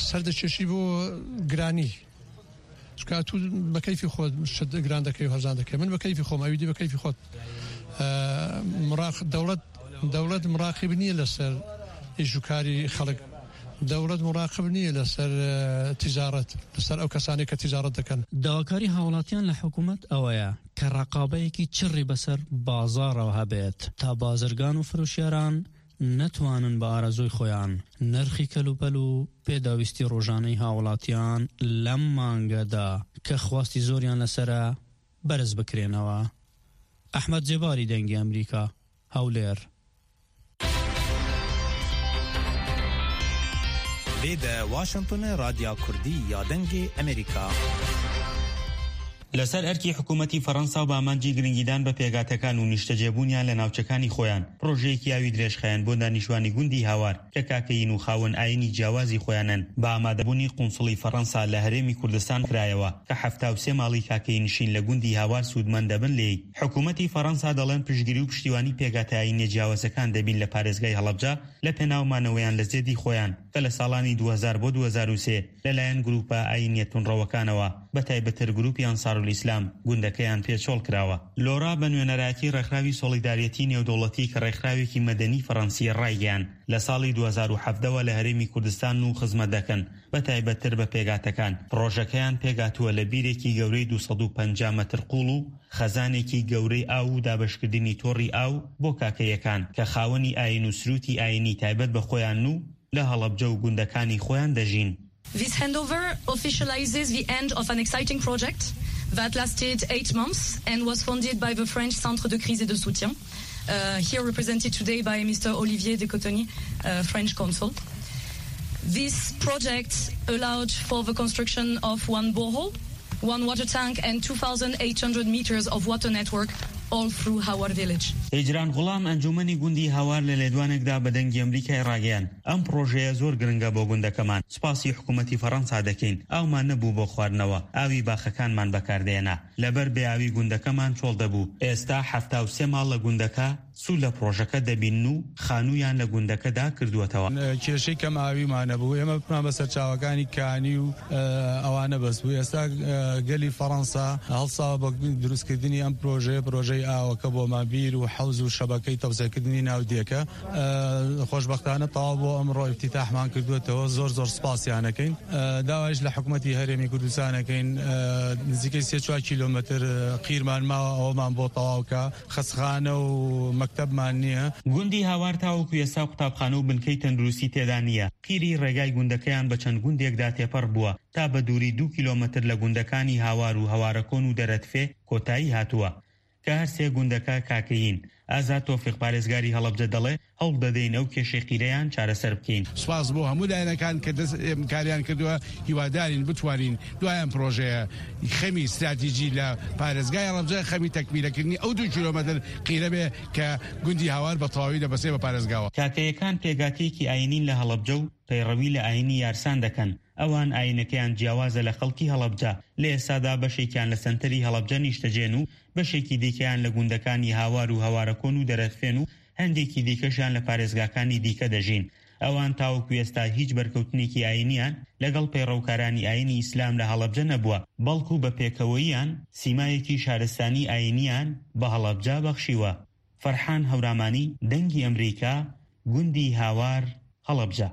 سەردەکێشی بۆ گرانی. چونکە تو بە کەیفی خۆت شت گران دەکەی و هەرزان دەکەی. من بە کەیفی خۆم، ئەویدی بە کەیفی خۆت. ئە، مراق-، دەوڵەت، دەوڵەت مراقب نییە لەسەر ئیش و کاری خەڵک. دەوڵەت مراقب نییە لەسەر، ئە، تیجارەت، لەسەر ئەو کەسانی کە تیجارەت دەکەن. داواکاری هاوڵاتیان لە حکوومەت ئەوەیە کە ڕقابەیەکی چڕی بەسەر بازاڕەوە هەبێت، تا بازرگان و فرۆشیاران نەتوانن بە ئارەزووی خۆیان نرخی کەلوپەل و پێداویستی ڕۆژانەی هاوڵاتیان لەم مانگەدا کە خواستی زۆریان لەسرە بەرز بکرێنەوە. ئەحمەد جێباری، دەنگی ئەمریکا، هەولێر. Vê de Washingtonê, Radya Kurdî ya Dengê Amerîka. لەسەر ئەرکی حکوومەتی فەڕەنسا و بە ئامانجی گرنگیدان بە پێگاتەکان و نیشتەجێبوونیان لە ناوچەکانی خۆیان، پڕۆژەیەکی ئاوی درێژخایەن بۆ دانیشتوانی گوندی هاوار کە کاکەین و خاوەن ئاینی جیاوازی خۆیانن، بە ئامادەبوونی قونسڵی فەڕەنسا لە هەرێمی کوردستان کرایەوە کە حەفتا و سێ ماڵی کاکەی نشین لە گوندی هاوار سوودمەند دەبن لێی. حکوومەتی فەڕەنسا دەڵێن پشتگیری و پشتیوانی پێگاتە ئاینیە جیاوازەکان دەبین لە پارێزگای هەڵەبجە لە پێناو مانەوەیان لە زێدی خۆیان کە لە ساڵانی دوو هەزار بۆ دوو هەزار و سێ لەلایەن گرووپە ئاینیە تونڕەوەکانەوە، بە تایبەتتر گرووپی ئەنسارولئیسلام، گوندەکەیان پێچۆڵ کراوە. لۆرا بە نوێنەرایەتی ڕێکخراوی سۆڵیدارێتی نێودەوڵەتی کە ڕێکخراوێکی مەدەنی فەڕەنسیە ڕایگەیاند، لە ساڵی دوو هەزار و حەڤدە وە لە هەرێمی کوردستان و خزمەت دەکەن، بە تایبەتتر بە پێگاتەکان. پڕۆژەکەیان پێگاتووە لە بیرێکی گەورەی دوو سەد و پەنجا مەتر قوڵ و خەزانێکی گەورەی ئاو و دابەشکردنی تۆڕی ئاو بۆ کاکەیەکان کە خاوەنی ئاین و سرووتی ئاینی تایبەت بە خۆیان و لە هەڵەبجە و گوندەکانی خۆیان دەژین. This handover officializes the end of an exciting project that lasted eight months and was funded by the French Centre de Crise et de Soutien, uh, here represented today by Mister Olivier de Cotigny, uh, French consul. This project allowed for the construction of one borehole, one water tank and two thousand eight hundred meters of water network all through Hawar village. هیجران غوڵام، ئەنجومەنی گوندی هاوار، لە لێدوانێکدا بە دەنگی ئەمریکای ڕاگەیاند، ئەم پرۆژەیە زۆر گرنگە بۆ گوندەکەمان. سپاسی حکوومەتی فەڕەنسا دەکەین. ئاومان نەبوو بۆ خواردنەوە. ئاوی باخەکانمان بەکاردێنا. لەبەر بێ ئاوی گوندەکەمان چۆڵ دەبوو. ئێستا حەفتا و سێ ماڵ لە گوندەکە سوود لە پرۆژەکە دەبین و خانوویان لە گوندەکەدا کردووەتەوە. کێشەی کەم ئاویمان نەبوو. ئێمە بمان بە سەرچاوەکانی کانی و، ئە، ئەوانە بەس بوو. ئێستا، ئە، گەلی فەڕەنسا هەڵساوە بە دروستکردنی ئەم پرۆژەیە، پرۆژەی ئاوەکە بۆمان بیر و حەوز و شەبەکەی تەوسەکردنی ناودیەکە. ئە، خۆشبەختانە تەواو بۆ ئەمڕۆ ئیفتیتاحمان کردووەتەوە. زۆر زۆر سپاسیانەکەین. ئە، داوایش لە حکوومەتی هەرێمی کوردستانەکەین. ئە، نزیکەی سێ چوار کیلۆمەتر، ئە، قیرمان ماوە، ئەوەمان بۆ تەواوکە. خەسخانە و مەکتەبمان نییە. گوندی هاوار تاوەکو ئێستا قوتابخانە و بنکەی تەندروستی تێدا نییە. قیری ڕێگای گوندەکەیان بە چەند گوندێکدا تێپەڕ بووە، تا بە دووری دوو کیلۆمەتر لە گوندەکانی هاوار و هەوارەکۆن و دەرەتفێ کۆتایی هاتووە، کە هەر سێ گوندەکە کاکەیین. ئازاد تۆفیق، پارێزگاری هەڵەبجە، دەڵێ، هەوڵ دەدەین ئەو کێشەی قیرەیان چارەسەر بکەین. سپاس بۆ هەموو لایەنەکان کە دەست ئێمکاریان کردووە. هیوادارین بتوانین دوای ئەم پرۆژەیە خەمی استراتیژی لە پارێزگای هەڵەبجە، خەمی تەکمیلەکردنی ئەو دوو کیلۆمەتر قیرە بێ کە گوندی هاوار بە تەواوی دەبەستێ بە پارێزگاوە. کاکەیەکان پێگاتیەکی ئاینین لە هەڵەبجە و پەیڕەوی لە ئاینی یارسان دەکەن. ئەوان ئاینەکەیان جیاوازە لە خەڵکی هەڵەبجە. لە ئێستادا بەشێکیان لە سەنتەری هەڵەبجە نیشتەجێن و بەشێکی دیکەیان لە گوندەکانی هاوار و هەوارەکۆن و دەرەتفێن و هەندێکی دیکەشیان لە پارێزگاکانی دیکە دەژین. ئەوان تاوەکو ئێستا هیچ بەرکەوتنێکی ئاینیان لەگەڵ پەیڕەوکارانی ئاینی ئیسلام لە هەڵەبجە نەبووە، بەڵکو بە پێکەوەییان سیمایەکی شارستانی ئاینیان بە هەڵەبجە بەخشیوە. فەرحان هەورامانی، دەنگی ئەمریکا، گوندی هاوار، هەڵەبجە.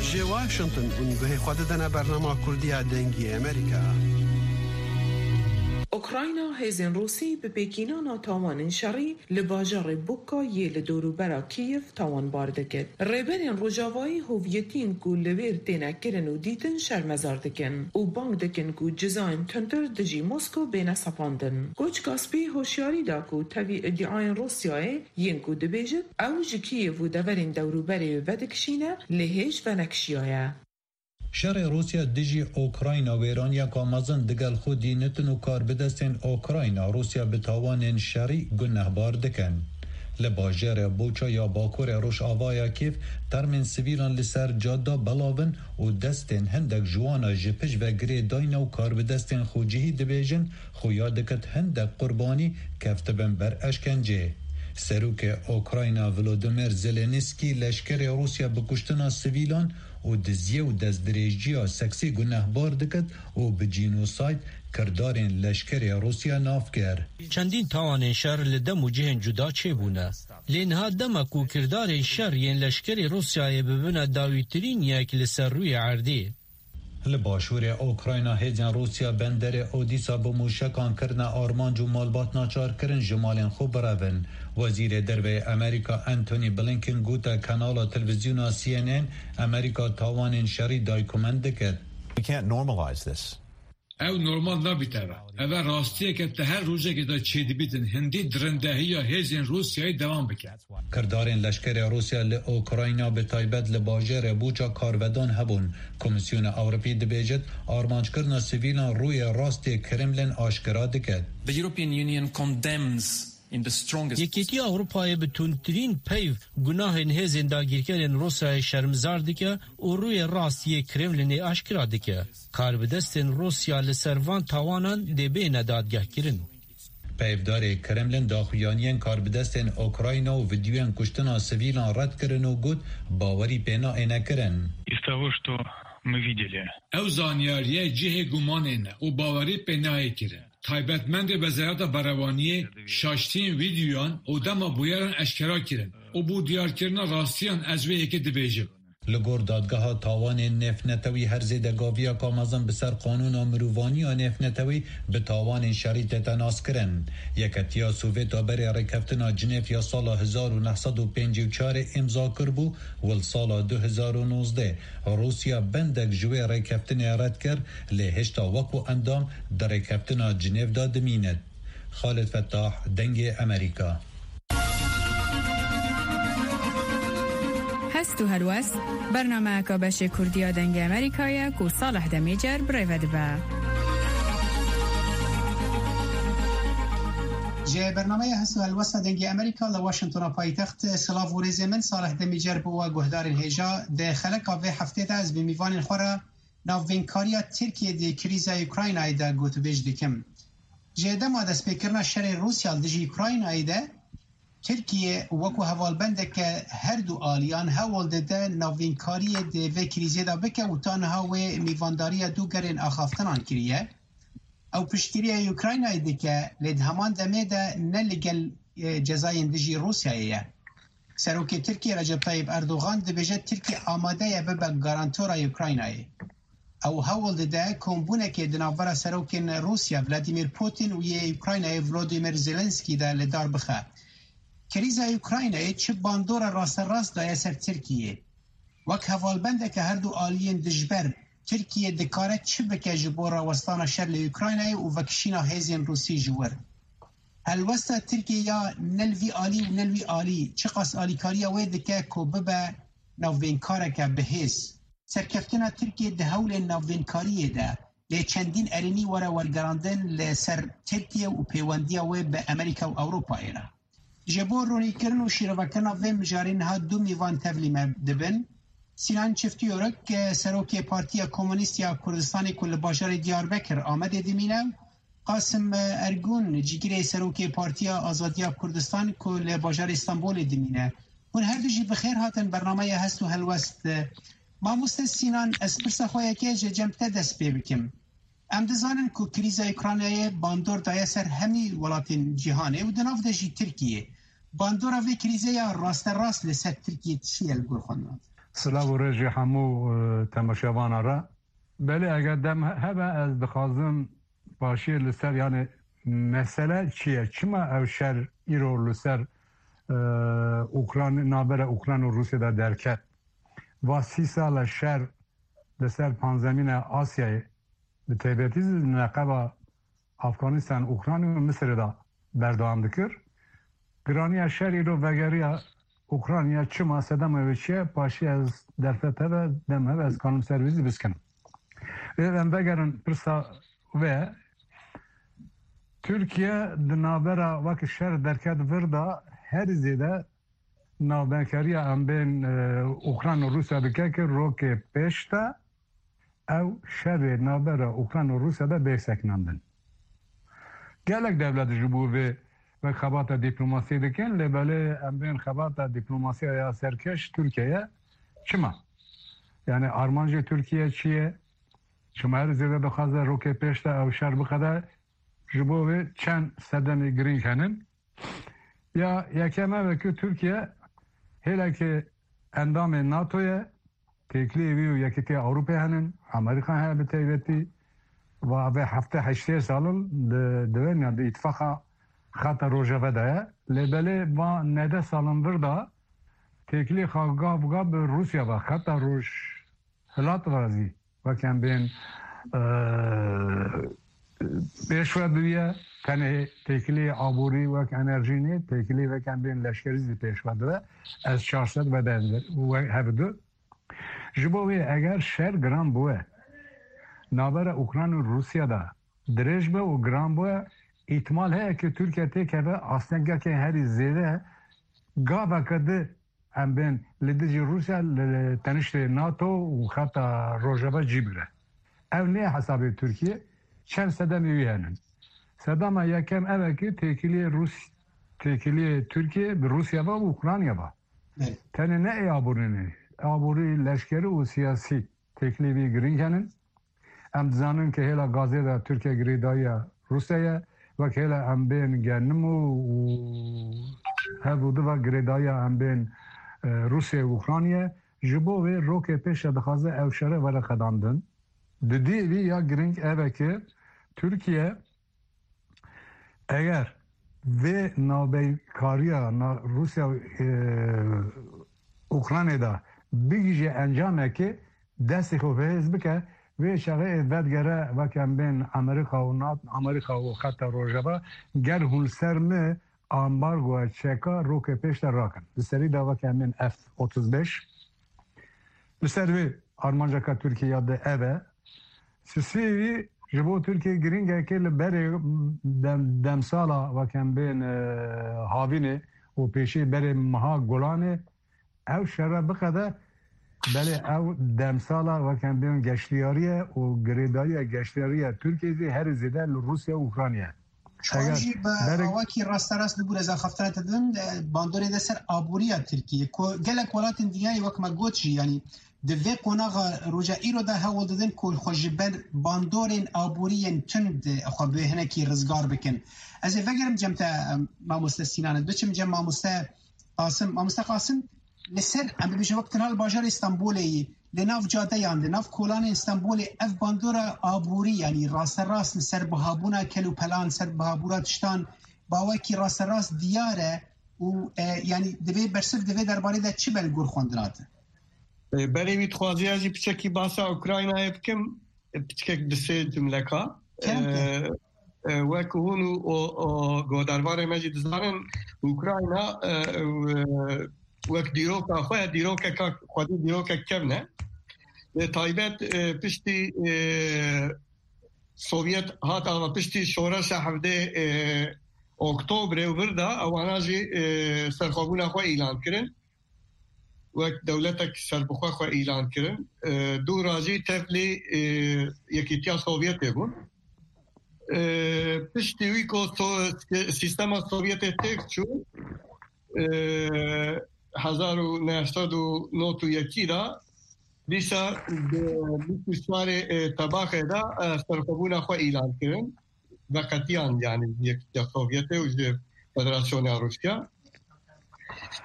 Ji Washington hûn guhê xwe didine bernama Kurdiya Dengê Amerîka. Ukrayna hêzên Rûsî bi pêkînana tawanên şerî li bajarê Buka yê li dorûbera Kîev tawanbar dikir. Rêberên Rojavayî hoviyetiyên ku li wêr têne kirin û dîtin şermezar dikin û bang dikin ku cizayên tundtir dijî Moskow bêne sepandin. Koçka Spî hoşyarî da ku tevî îdiayên Rûsyayê yên ku dibêjin ew ji Kîev û deverên dewrûberê vedikişîne, lê hêj venekişiyaye. Şerê Rûsya dijî Ukrayna wêraniyeka mezin digel xwe dînitin û karbidestên Ukrayna Rûsya bi tawanên şerî gunehbar dikin. Li bajarê Buça ya bakurê rojavaya Kîev termên sivîlan li ser cada belav in û destên hindek ji wana ji pişt ve girê dayne û karbidestên xwecihî dibêjin, xuya dikit hindek qurbanî keftibin ber eşkencê. Serokê Ukrayna Volodymyr Zelensky leşkerê Rûsya bi kuştina sivîlan û diziyê û destdirêjiya seksî gunehbar dikit û bi cînosayd kirdarên leşkerê Rûsya nav kir. Çendîn tawanên şer li dem û cihên cuda çêbûne. Lê niha dema ku kirdarên şer yên leşkerê Rûsyayê bibine dawîtirîn yek li ser rûyê erdê. Li başûrê Ukrayna hêzên Rûsya benderê Odîsa bi mûşekan kirine armanc û malbat naçar kirin ji malên xwe birevin. Wezîrê Derve yê Amerîka Antony Blinken gote kanala televîzyona C N N Amerîka tawanên şerî daykumen dikit. We can't normalize this. Ew normal nabîte ve. Ev e rastiyeke te her rojekê de çêdibîtin hindî dirindehiya hêzên Rûsyayê dewam bike. Kirdarên leşkerê Rûsya li Ukrayna bi taybet li bajarê Buça karvedan hebûn. Komîsyona Ewropî dibêjit, armanckirina sivîlan rûyê rastê Kremlin aşkera dike. The European Union condemns in the strongest Yekîtiya Ewropayê bi tundtirîn peyv gunahên hêzên dagirkerên Rûsyayê şermizar dike û rûyê rast yê Kremlinê aşkera dike. Karbidestên Rûsya li ser van tawanan dê bêne dadgehkirin. Peyvdarê Kremlin daxuyaniyên karbidestên Ukrayna û vîdeoyên kuştina sivîlan red kirin û got, bawerî pê nayêne kirin. Из того, что мы видели. Ew zanyariyê cihê gumanê ne û bawerî pê nayê kirin. Taybetmendê Wezareta Berewaniyê şaştiyên vîdeoyan û dema bûyeran eşkera kirin û bo diyarkirina rastiyan ez vê yekê dibêjim. Li gor dadgeha tawanên nêvnetewî her zêde gaviya ka mezin bi ser qanûna mirovaniya nêvnetewî bi tawanên şerî tête naskirin. Yeketiya Sovêt a berê rêkeftina Cinêv ya sala hezar û neh sed û pêncî û çar îmza kiribû û li sala du hezar û nozdeh Rûsya bendek ji wê rêkeftinê red kir, lê hêşta wekû endam di rêkeftina Cinêv de dimînit. Xalid Fettah, Dengê Emerîka. Hest û helwest, bernameyeka beşê Kurdî ya Dengê Emerîka ye ku Salih Demîcer bi rê ve dibe. Ji bernameya Hest û Helwesta Dengê Emerîka li Washingtona paytext, silav û rêzê min, Salih Demîcer bo we guhdarên hêja. Di xeleka vê heftê de ez bi mîvanên xwe re navbeynkariya Tirkiyê di krîza Ukraynayê de gotûbêj dikim. Ji dema destpêkirina şerê Rûsya li dijî Ukraynayê de, Tirkiye wekû hevalbendeke her du aliyan hewl dide navbênkariyê di vê krîzê de bike û ta niha wê mîvandariya du gelên axaftinan kiriye. Ew piştgiriya Ukraynayê dike, lê di heman demê de ne li gel, e, cezayên dijî Rûsyayê ye. Serokê Tirkiyê Recep Tayyip Erdogan dibêje Tirkiye amade ye bibe garantora Ukraynayê. Ew hewl dide kombûnekê di navbera serokên Rûsya Vladimir Putin û yê Ukraynayê Volodymyr Zelensky de li dar bixe. Krîza Ukraynayê çi bandora rasterast daye ser Tirkiyê? Wek hevalbendeke her du aliyên dijber, Tirkiye dikare çi bike ji bo rawestana şer li Ukraynayê û vekişîna hêzên Rûsî ji wir? Helwesta Tirkiye ya ne li vî alî û ne li wî alî çiqas alîkariya wê dike ku bibe navbênkareke bi hêz? Serkeftina Tirkiye di hewlên navbênkariyê de, lê çendîn erênî were wergerandin li ser Tirkiye û pêwendiya wê bi Amerîka û Ewropayê re. Ji bo ronîkirin û şîrovekirina vê mijarê niha du mîvan tevlî me dibin. Sînan Çiftîyoruk, serokê Partiya Komunîst ya Kurdistanê ku li bajarê Diyarbekir Amedê dimîne, Qasim Ergun, cîgirê serokê Partiya Azadiya Kurdistan ku li bajarê Stenbolê dimîne. Hûn her du jî bi xêr hatin bernameya Hest û Helwest. Mamoste Sînan, ez pirsa xwe yekê ji cem te dest pê bikim. Em dizanin ku krîza Ukraynayê bandor daye ser hemî welatên cîhanê û di nav de jî Tirkiyê. Bandora vê krîzê ya rasterast li ser Tirkiyê çi ye li gor xwe? Silav û rêjê hemû, e, temaşevana re. Belê, eger dem he-, hebe, ez dixwazim paşiyê li ser, yani, mesele çi ye? Çima ew şer îro li ser, e, Ukran-, navbera Ukran û Rûsya de derket? Va sî sal e şer li ser panzemîna Asyayê, bi taybetî zî neqeba Afganistan, Ukrayna û Misirê de berdewam dikir. Giraniya şer îro vegeriya Ukrayna, çima, sedema wê çi ye? Paşî ez derfet hebe, dem hebe, ez kanim ser wî zî biskinim. Lê em vegerin pirsa wê. Tirkiye di navbera wek şer derket vir de herî zêde navbenkeriya em bên, e, Ukrayna û Rûsya dike ki rokê pêş de ew şerê navbera Ukrayna û Rûsya de bê sekinandin. Gelek dewlet ji bo vê wek xebata dîplomasî dikin, lê belê em bên xebata dîplomasiya ya serkeş Tirkiye ye. Çima? Yani armancê Tirkiye çi ye? Çima her zêde dixwaze rokê pêş de ew şer biqede? Ji bo vê çend sedemê girîng henin. Ya yekem ev e ku Tirkiye hêlekê endamê NATO ye, têkiliyê wî û Yekîtiya Ewropê henin, Amerîka heye bi taybetî, va vê hefte heştê salin di, di wê, ya di îtifaqa xeta Rojeve de ye. Lê belê va nede salin vir de têkiliyê xwe gav bi gav bi Rûsya ve, xeta Rojhilat ve zî wek em bên, e, pêş ve biriye, tenê têkiliyê aborî wek enerjî nê, têkiliyê wek em bên leşkerî zî pêş ve dibe. Ez çar sed ve de we hev du. Ji bo wê eger şer giran bûye, navbera Ukrayna û Rûsya de dirêj be û giran bûye, îhtimal heye ku Tirkiye têkeve astengekê herî zêde gaveke di em bên li dijî Rûsya li, li teniştê NATO û xeta Rojava cî bigre. Ew nê hesabê Tirkiye, çend sedemê wî henin. Sedema yekem ev e ki têkiliyê Rûs-, têkiliyê Tirkiye bi Rûsya ve û Ukrayna ve. Evet. Tenê ne ê aborî ne. Aborî, leşkerî û siyasî têkiliyê wî girîng henin. Em dizanin ke hêla gazê de Tirkiye girêdayiya Rûsya ye, wek hêla em bên genimû û hev û diva girêdayiya em bên, e, Rûsya û Ukrayna ye. ji bo wê rokê pêş de dixwaze ew şere were qedandin. Di dî vî ya giring ev e ki Tirkiye eger vê navbeykariya na-, Rûsya û, e, Ukraynê de bigihîje encamekê, destê xwe bihêz bike, vê çaxê ê vedgere weke em bên Amerîka û nat-, Amerîka û xeta Rojava, ger hûn li ser me ambargoya çeka rokê pêş de rakin. Li serî de weke em bên F otuz beş. Li ser vê armanceka Tirkiye ya di ev e. Sisî ji bo Tirkiye giringeke li berê dem-, demsala weke em bên, e, havînê û pêşî berê meha Golanê ew şere biqede, belê ew demsala weke em bên geştiyariye û girêdariya geştiyariya Tirkiye zî herî zêde li Rûsya û Ukrayna ye. Çawa Eger jî bi berek awakî rasterast bibûre, ez axaftina te dibim, e, bandorê de ser aboriya Tirkiye, ku gelek welatên dinyayê wek me got jî, yanî di vê qonaxa roja îro de hewl didin ku xwe ji ber bandorên aboriyên tund xwe bi hinekî rizgar bikin. Ez ê vegerim cem te, e, mamoste Sînan, ez biçim cem mamoste Qasim. Mamoste Qasim, li ser, em bibêjin wek tira li bajarê Stenbolê yî, li nav cadeyan, li nav kolanên Stenbolê ev bandora aborî, yanî rasterast li ser bihabûna kel û pelan, ser bihabûna tiştan, bawekî rasterast diyar e û, e, yanî divê bersiv di vê derbarê de çi be li gor xwendina te? E, berê wî dixwaziya jî piçekî basa Ukraynayê bikim, e, piçkek di sê cumleka. Kerem ke. E, e, wek hûn û o, o, godarvarê me jî dizanin, Ukrayna, e, e, wek dîroka xwe, dîrokeka xwedî dîrokek kevn e. Bi taybet, e, piştî, e, Sovyet hat ava, piştî şoreşa hevdê, e, Oktobrê û vir de ewana jî, e, serxwebûna xwe îlan kirin. Wek dewletek serbixwe xwe îlan kirin. E, dûra jî tevlî, e, Yekîtiya Sovyetê bûn. E, piştî wî ku so-, sîstema Sovyetê têk çû, e, hezar û neh sed û nod û yekî de, dîsa di bîst û çarê, e, Tebaxê de, e, serxwebûna xwe îlan kirin. Veqetiyan, yanî ji Yekîtiya Sovyetê û ji Federasyona Rûsya.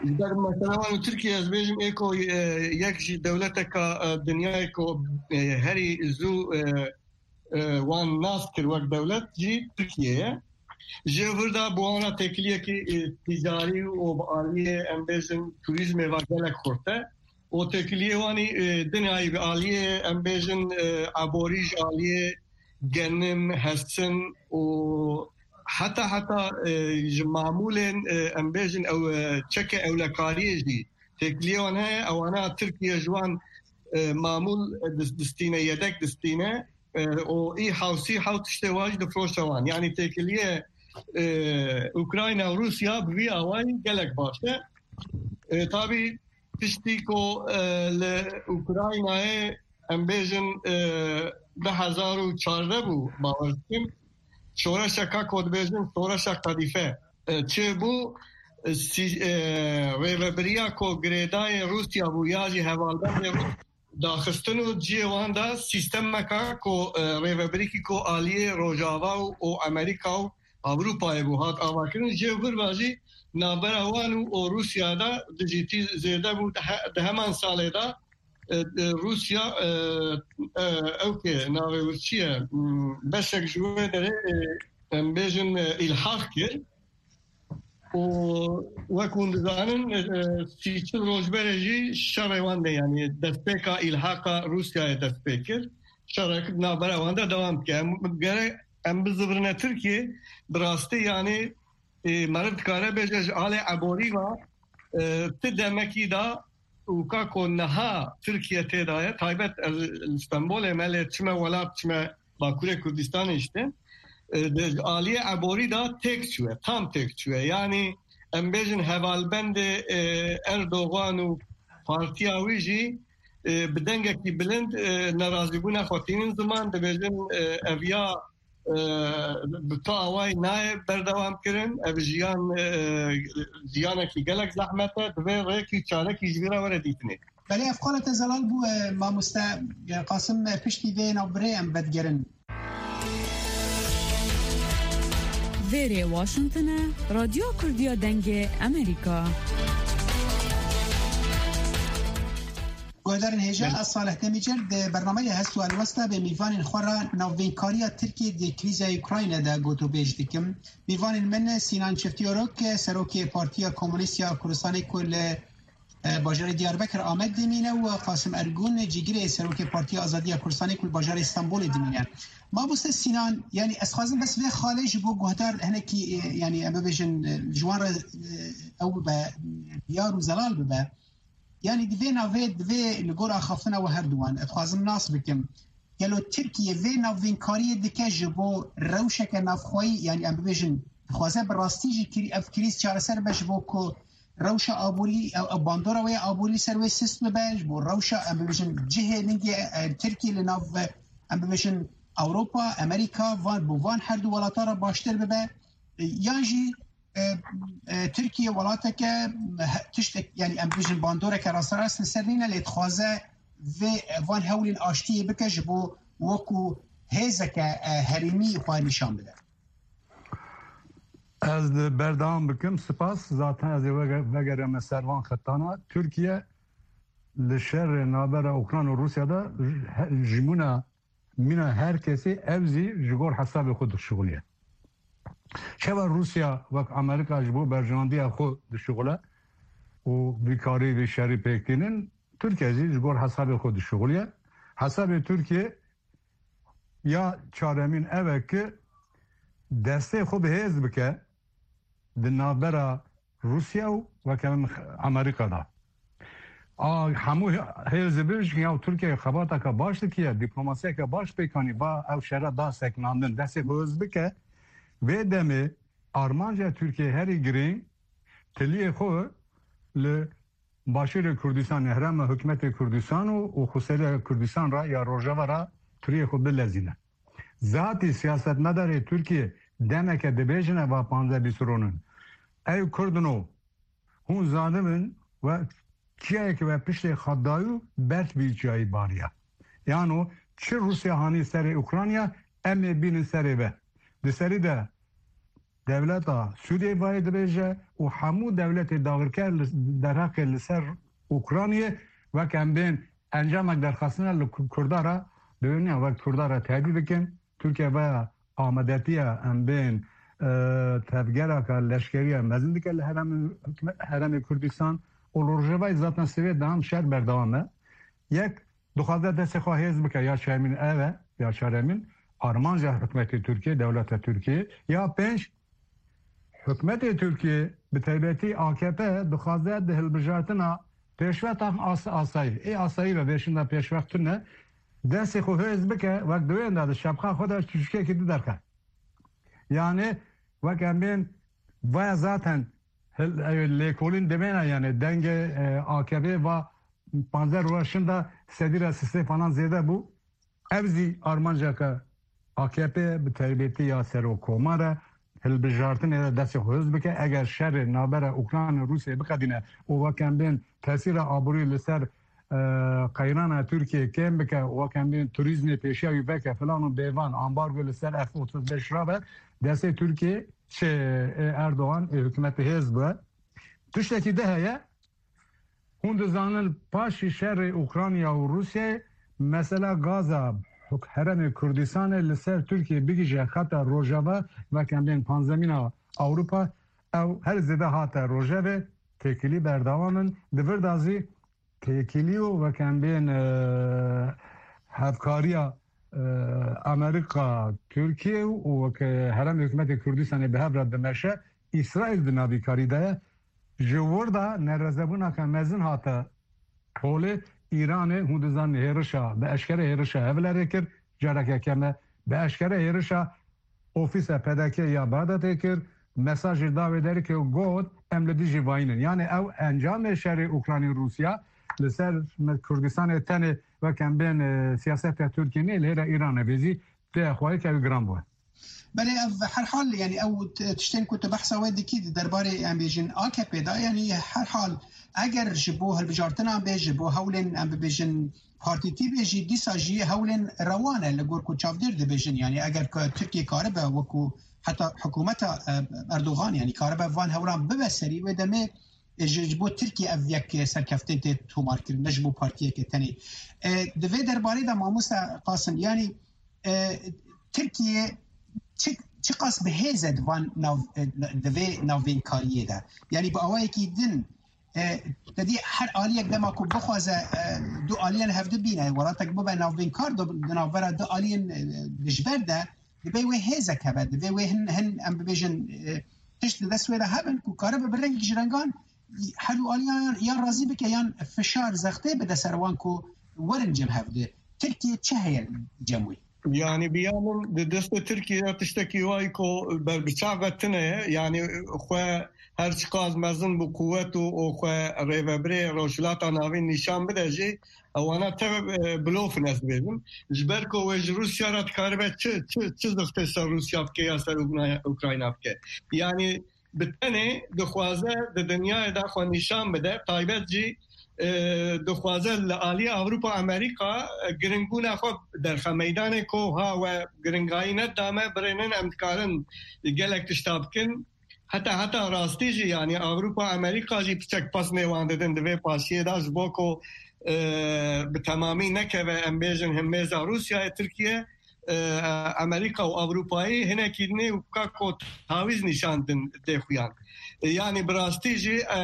Ji ber mesela wan û Tirkiye, ez bêjim, ê ku, e, yek ji dewleteka, e, dinyayê ku, e, herî zû, e, e, wan nas kir wek dewlet jî Tirkiye ye. Ji vir de bi wan re têkiliyekî, e, tîcarî û bi aliyê, em bêjin, turîzmê ve gelek xurt e. Û têkiliyê wan î, e, dinyayî bi aliyê, em bêjin, e, eborî, ji aliyê genim, hesin û heta, heta, e, ji mamûlên, e, em bêjin, ew, e, çeke ewlekariyê jî têkiliyê wan heye. Ewana Tirkiye ji wan, e, mamûl, e, dis-, distîne, yedek distîne, e, û î hewsî hew tiştê wan jî difroşe wan. Yanî têkiliyê, e, Ukrayna û Rûsya bi vî awayî gelek baş e. E, tabî piştî ku, e, li Ukraynayê, em bêjin, e, du hezar û çardeh bû, bawer dikim, şoreşeka ku dibêjin şoreşa Qedîfe, e, çêbû, e, sî-, e, rêvebiriya ku girêdayê Rûsya bû ya jî hevalbendê Rûs daxistin û cihê wan de sîstemeka ku, e, rêvebirîkî ku aliyê Rojava û, û Amerîka û Ewropayê bû hat avakirin, jê vir ve jî navbera wan û, û Rûsya de dijîtî zêde bû. Di he-, di heman salê de, e, e, Rûsya, e, e, ew kê navê wir çi ye? Hmm, beşek ji wê derê, e, em bêjin, e, îlhaq kir. Û wek hûn dizanin, e, sî çil roj berê jî şerê wan de, yanî destpêka îlhaqa Rûsyayê dest pê kir. Şerek di navbera wan de dewam dike. Em, gere em bizivirine Tirkiye, bi rastî, yanî, e, meriv dikare bêje ji alê eborî ve, e, ti demekî de û ka ku niha Tirkiye tê de ye, taybet ez li Stenbolê me, lê çime welat, çime Bakurê Kurdistanê işte, e, di aliyê eborî de têk çûye, tam têk çûye. Yanî em bêjin hevalbendê, e, Erdogan û partiya wî jî, e, bi dengekî bilind, e, nerazîbûna xwe tînin ziman, dibêjin, e, ev ya e, bi tu awayî nayê berdewam kirin. Ev jiyan, e, jiyanekî gelek zehmet e. Divê rêkî çarekî ji vî re were dîtinê. Belê, ev qala te zelal bû, e, mamoste, e, Qasim, e, piştî vê navbirê em vedigerin. Vêrê Washington e, Radyo Kurdiya Dengê Amerîka. Guhdarên hêja, ez Salih Demîcer di bernameya Hest û Helwesta bi mîvanên xwe re navbeynkariya Tirkiyê di krîza Ukrayna de gotûbêj dikim. Mîvanên min Sinan Çiftiyorok, serokê Partiya Komûnîst ya Kurdistanê ku li, e, bajarê Diyarbekir Amed dimîne û Qasim Ergun, cîgirê serokê Partiya Azadiya Kurdistanê ku li bajarê Stenbolê dimîne. Mamoste Sinan, yanî ez xwazim bes vê xalê ji bo guhdar hinekî, e, yanî em bibêjin, e, ji wan re, e, ew bibe, diyar û zelal bibe. Yanî di vê navê, di vê li gor axaftina we herduwan, ez dixwazim nas bikim. Gelo Tirkiye vê navbînkariyê dike ji bo rewşeke navxweyî, yanî em bibêjin, dixwaze bi rastî jî krî-, ev krîz çareser be ji bo ku rewşa aborî, ew, ew bandora wê aborî li ser wê sist bibe, ji bo rewşa, em bibêjin, cihê ningê, e, Tirkiye li nav, em bibêjin, Ewropa, Amerîka, van, bo van her du welata re baştir bibe, e, yan jî e, e, Tirkiye welateke, he-, tiştek, yanî em bijin bandoreke rasterast li ser nîne, lê dixwaze vê, van hewlên aştiyê bike ji bo wekû hêzeke, e, herêmî xwe nîşan bide. Ez li berdewam bikim. Spas. Zaten ez ê vege-, vegerime ser van xetana. Tirkiye li şerê navbera Ukrayna û Rûsya de ji-, he-, jimûna mîna her kesî, ew zî ji gor hesabê xwe dişuxuliye. Çawa Rûsya wek Amerîka ji bo berjewendiya xwe dişuxule û vî karî vî şerî pêk tînin, Tirkiye zî ji gor hesabê xwe dişuxuliye. Hesabê Tirkiye ya çaremîn ev e ki destê xwe bi hêz bike di navbera Rûsya û weke min Amerîka de. A, hemû hê-, hêz dibin ji ya Tirkiye xebateke baş dikiye, dîplomasiyeke baş pêk anî, va ew şere da seknandin, destê xwe hêz bike. Vê demê armanca Tirkiye herî girîng tiliyê xwe li Başûrê Kurdistanê, herêma hikûmetê Kurdistan û, û Xweseriya Kurdistan re ya Rojava re tiliyê xwe bilezîne. Zatî siyasetmedarê Tirkiye demeke dibêjine va panzdeh bîst ronin. Ey Kurdino, hûn zanibin we çiyayeke we piştê xwe dayû ber vî çiyayî bariya. Yano çi Rûsya hanî serê Ukrayna, em ê bînin serê ve. Di serî de dewleta Sûriyê vayê dibêje û hemû dewletê dagirker li, derheqê li ser Ukraynayê wek em bên encamek derxistine li Ku-, Kurda re dibêjin, wek Kurda re tehdît dikin. Tirkiye vaya amadetiya em bên, e, tevgeraka leşkeriya mezin dike li heremê, heremê Kurdistan û li Rojavayê zaten sivê dam şer berdewam e. Yek, dixwaze destê xwe hêz bike, ya çaremîn ev e, ya çaremîn armanca hikûmetê Tirkiye, dewleta Tirkiye. Ya pênc, hikûmetê Tirkiye, bi taybetî A K P, dixwaze di hilbijartina pêşvetan as-, asayî, ê asayî ve vêşinda pêşvext tune, destê xwe hêz bike, wek di wênda di şapka xwe de çûçikekî di derxe. Yani, wek em bên, vaya zaten hil-, e, lêkolîn demêne, yani dengê, e, A K P va panzdeh roja şinda sedî re sisê falan zêde bû. Ev zî armanceke A K P, bi taybetî ya serokkomar e, hilbijartinê de destê xwe hêz bike. Eger şerê navbera Ukrayna û Rûsyayê biqedîne û wek em bên tesîra aborî li ser, e, qeyrana Tirkiye kêm bike, wek em bên turîzmê pêşiya wî veke filan û bêvan, ambargo li ser F otuz beş rabe, destê Tirkiye, çi, e, Erdogan, e, hikûmetê hêz bû. Tiştekî di heye, hûn dizanin, paşî şerê Ukrayna û Rûsyayê, mesela Gaza, huk-, herêmê Kurdistanê li ser Tirkiye bigihîje xeta Rojava, wek em bên panzdemîna Ewropa, ew her zêde hate rojevê, têkilî berdewam in. Di vir de zî têkilî û wek em bên, e, hevkariya, e, Amerîka, Tirkiye û wek, e, herêmê hikûmetê Kurdistanê bi hev re dimeşe, Îsraîl di navîkarî de ye. Ji wir de nerezebûneke mezin hate holê. Îranê, hûn dizanin, hêrişa, bi eşkere hêrişa Hewlêrê kir, careke keme, bi eşkere hêrişa ofîsa P D K ya Bexdadê kir, mesajê da wê derê ku got, em li dijî vayî nin. Yani ew encamê şerê Ukrayna Rûsya li ser me Kurdistanê tenê wek em bên, e, siyaseta Tirkiyê nê, li hêra Îranê vê zî tê xwayê ke ew giran bû. Belê, ev herhal, yani ew t-, tiştên ku tu behsa wê dikî di derbarê, em bêjin, A K P de, yani herhal eger ji bo hilbijartinan bê, ji bo hewlên, em bibêjin, partîtî bê jî, dîsa jî hewlên rewan e li gor ku çavdêr dibêjin. Yani eger ku Tirkiye karibe wekû heta hikûmeta, e, Erdogan, yani karibe van hewlan bibe serî, wê demê e, ji, ji bo Tirkiye ev yek serkeftên tê tomarkirin, ne ji bo partiyeke tenê. E, di vê derbarê de mamoste Qasim, yanî, e, Tirkiye çi, çiqas bi hêz e di van nav, e, di vê navbênkariyê de. Yanî bi awayekî din, e, te dî her aliyek dema ku bixwaze, e, du aliyan hevdi bîne, welatek bibe navbênkar di, di navbera du aliyên, e, dijber de, dibe wê hêzek hebe, dibe wê hin, hin em bibêjin, e, tişt di dest wê de hebin ku karibe bi rengek ji rengan her du aliyan yan razî bike yan fişar zextê bide ser wan ku werin cem hevdi. Tirkiye çi heye cem wî? Yani bi ya min di destê Tirkiye de tiştekî wayî ku berbiçav ve tune ye. Yani xwe her çiqas mezin bi quwet û, û xwe rêvebirê Rojhilata Navîn nîşan bide jî, ewana tev, e, blof in, ez dibêjim. Ji ber ku wê ji Rûsya re dikaribe çi, çi, çi zixtê ser Rûsya bike ya ser Ukrayna, Ukrayna bike. Yani bi tenê dixwaze di dinyayê de xwe nîşan bide, taybet jî, e, dixwaze li alî Ewropa, Amerîka, e, giringbûna xwe derxe meydanê ku ha we giringayî nedame, birênin em dikarin gelek tişta bikin. Heta, heta rastî jî, yani Ewropa, Amerîka jî piçek pesnê wan didin di vê paşiyê de ji bo ku, e, bi temamî nekeve, em bêjin himêza Rûsyayê, Tirkiye, e, Amerîka û Ewropayê hinekî dinê weka ku tawîz nîşan din dê xuyan. E, yani bi rastî jî, e,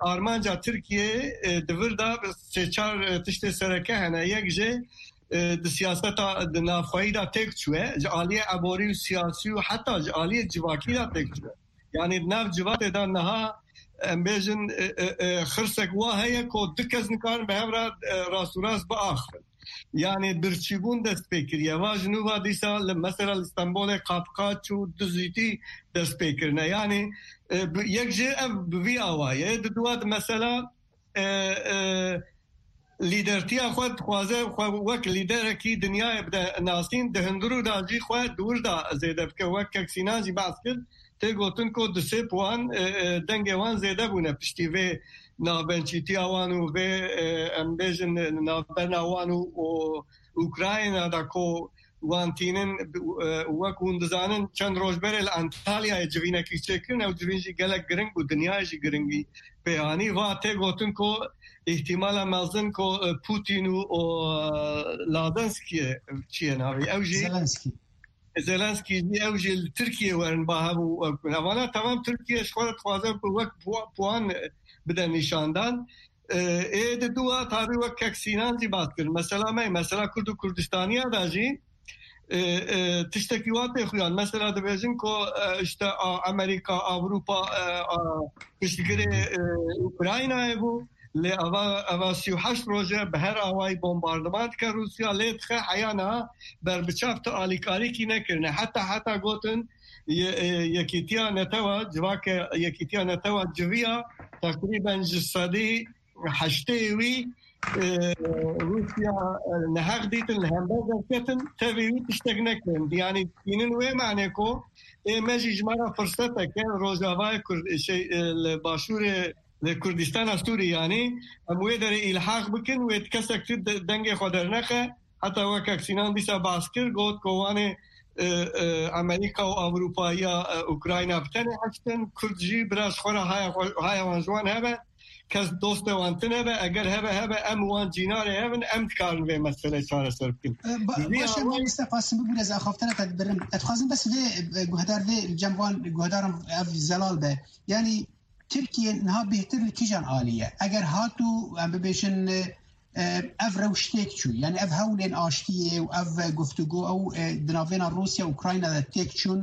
armanca Tirkiye, e, di vir de sê çar, e, tiştê sereke hene. Yek jê, e, di siyaseta di navxweyî de têk çûye. Ji aliyê eborî û siyasî û heta ji aliyê civakî de têk çûye. Yani di nav civatê de niha, em bêjin, e, e, e, xirsek wa heye ku du kes nikarin bi hev re, e, rast û rast biaxivin. Yani birçîbûn dest pê kiriye. Va ji nû va dîsa li, mesela li Stenbolê qapqaç û dizîtî dest pê kirine. Yani, e, bi, yek jê ev bi vî awayî ye. Di dua di mesela, e, e, lîdertiya xwe dixwaze xwe wek lîderekî dinyayê bide nasîn, di hundirû de jî xwe di wir de zêde bike. Wek kek Sînan jî behs kir, tê gotin ku di sê puan, e, e, dengê wan zêde bûne piştî vê navbençîtiya wan û vê, e, em bêjin, navbena wan û, û Ukrayna de ku wan tînin, e, wek hûn dizanin, çend roj berê li Antalyayê civînekî çêkirin, ew civîn jî gelek giring bû, dinyayê jî giringî pê anî. Va tê gotin ku îhtimala mezin ku, e, Putin û, û, e, Lazenskî, çi ye navê? Ew jî Zelenskî. Zelenskî jî, ew jî li Tirkiye werin ba hev û ew, evana temam Tirkiye ji xwe re dixwaze ku wek puwa-, puan bide nîşandan. E, ê di dua tabî wek kek Sînan jî bat kir. Mesela me, mesela Kurd û Kurdistaniya da jî, e, e, tiştekî wa tê xuyan. Mesela dibêjin ku, e, işte, a, Amerîka, Ewropa, e, a, piştgirê, e, Ukraynayê bû. Lê eva, eva sî û heşt roj e bi her awayî bombardiman dike Rûsya, lê dixe heya niha berbiçav tu alîkarîkî nekirine. Heta, heta gotin ye-, e, Yekîtiya Netewa, civake Yekîtiya Netewa civiya teqrîben ji sedî heştê wî, e, Rûsya, e, neheq dîtin, li hember derketin, tevî wî tiştek nekirin. Yanî tînin wê manê ku ê me jî ji me re firsetek e, Rojavayê Kurd, şey, e, li Başûrê, li Kurdistana Sûrî, yanî em wê derê îlhaq bikin, wê kesek tu de-, dengê xwe dernexe. Heta wekek Sînan dîsa behs kir, got ku wanê, e, e, Amerîka û Ewropa ya, e, Ukrayna bi tenê hiştin, Kurd jî bira ji xwe re haya xwe, haya wan ji wan hebe, kes dostê wan tune be, eger hebe hebe em wan cînarê hev in, em dikarin vê meselê çareser bikin. E, ba-, Bi vî baş e, awayî mamoste Qasim, bibûre ez axaftina te dibirim. Ez dixwazim bes vê, e, guhdar vê, cem van guhdaran ev zelal be. Yanî Tirkiye niha bêhtir li kîjan alî ye? Eger hat û em bibêjin, e, e, ev rewş têk çû, yani ev hewlên aştiyê û ev guftûgo ew, e, di navbêna Rûsya û Ukrayna de têk çûn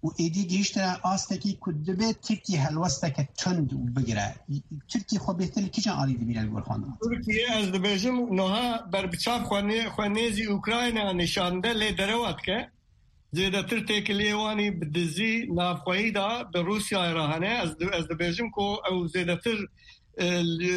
û êdî gihiştine astekî ku dibe Tirkiye helwesteke tund bigire. Tirkiye xwe bêhtir li kîjan alî dibîne li gor xwe? Tirkiye, ez dibêjim, niha berbiçav xwe nê-, xwe nêzî Ukrayna nîşan de, lê derewa dike. Zêdetir têkiliyê wan î bi dizî navxweyî de bi Rûsyayê re hene. Ez di-, ez dibêjim ku ew zêdetir, e, li,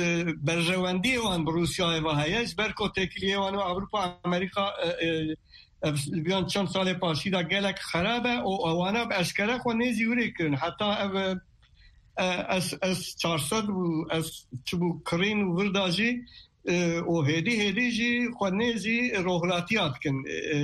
berjewendiyê wan bi Rûsyayê ve heye. Ji ber ku têkiliyê wan û Ewropa, Amerîka, e, e, ev, viyan çend salê paşî de gelek xerab e û ewana bi eşkere xwe nêzî wirê kirin. Heta ev, e, S S çar sed bû, S çi bû, kirîn û vir da jî, e, û hêdî hêdî jî xwe nêzî rohilatiya dikin. E,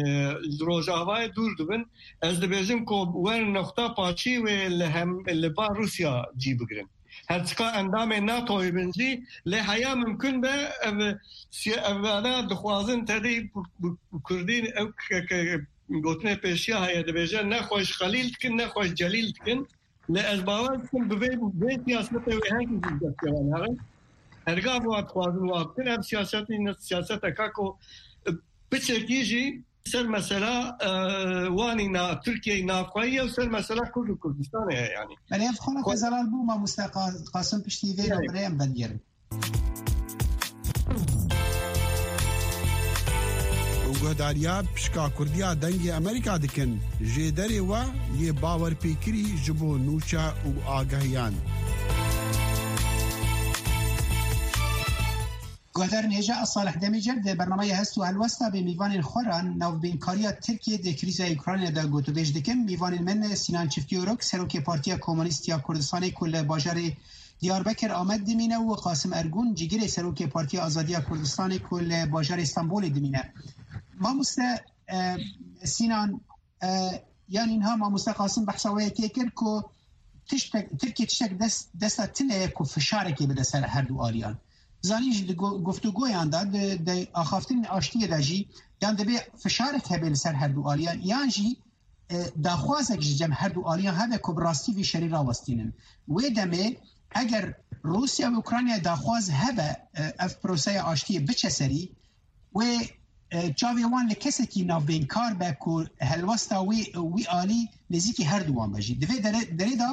ji Rojavayê dûr dibin. Ez dibêjim ku wer noxta paşî wê li hem, li ba Rûsya cî bigirin. Her çiqa endamên NATOyê bin jî, lê heya mimkun be ev si-, ev ana dixwazin tedî bi, bi, bi kurdî ew ke, ke, gotinê pêşiya heye, dibêje nexweş xelîl dikin, nexweş celîl dikin. Lê ez bawer dikim bi vê, vê siyasetê wê herkes ji destê wan herin. Hergav wan dixwazin wan bikin, ev siyasetî ne siyaseteka ku, e, piçekî jî ser mesela, e, wanî na Tirkiyeyê navxweyî ye û ser mesela Kurd û Kurdistanê ye yanî. Belê ev xwe Xwe- zelal bû mamoste Qa-, Qasim piştî vê Evet. nabirê em vedigêrin. Guhdariya pişka Kurdiya Dengê Amerîka dikin. Jêderê we yê bawerpêkirî ji bo nûçe û agahiyan. Guhdarên hêja, ez Salih Demîcer di bernameya Hest û Helwesta bê mîvanên xwe re navbeynkariya Tirkiyê di krîza Ukraynayê de gotûbêj dikim. Mîvanên min Sinan Çiftîorok, Serokê Partiya Komunîst ya Kurdistanê ku li bajarê Diyarbekir Amed dimîne û Qasim Ergûn, cîgirê Serokê Partiya Azadiya Kurdistanê ku li bajarê Stenbolê dimîne. Mamoste, e, Sinan, e, yanî niha mamoste Qasim behsa wê yekê kir ku tiştek, Tirkiye tiştek dest, desta tune ye ku fişarekê bide ser her du aliyan. Zanî jî di go-, guftûgoyan de, di, di axaftinên aştiyê de jî yan dibê fişarek hebe li ser her du aliyan, yan jî, e, daxwazek ji cem her du aliyan hebe ku bi rastî vî şerî rawestînin. Wê demê eger Rûsya û Ukraynayê daxwaz hebe, e, ev proseya aştiyê biçe serî, wê, e, çavê wan li kesekî navbeynkar be ku helwesta wî, wî alî nêzîkî her du wan be jî. Di vê dere-, derê de,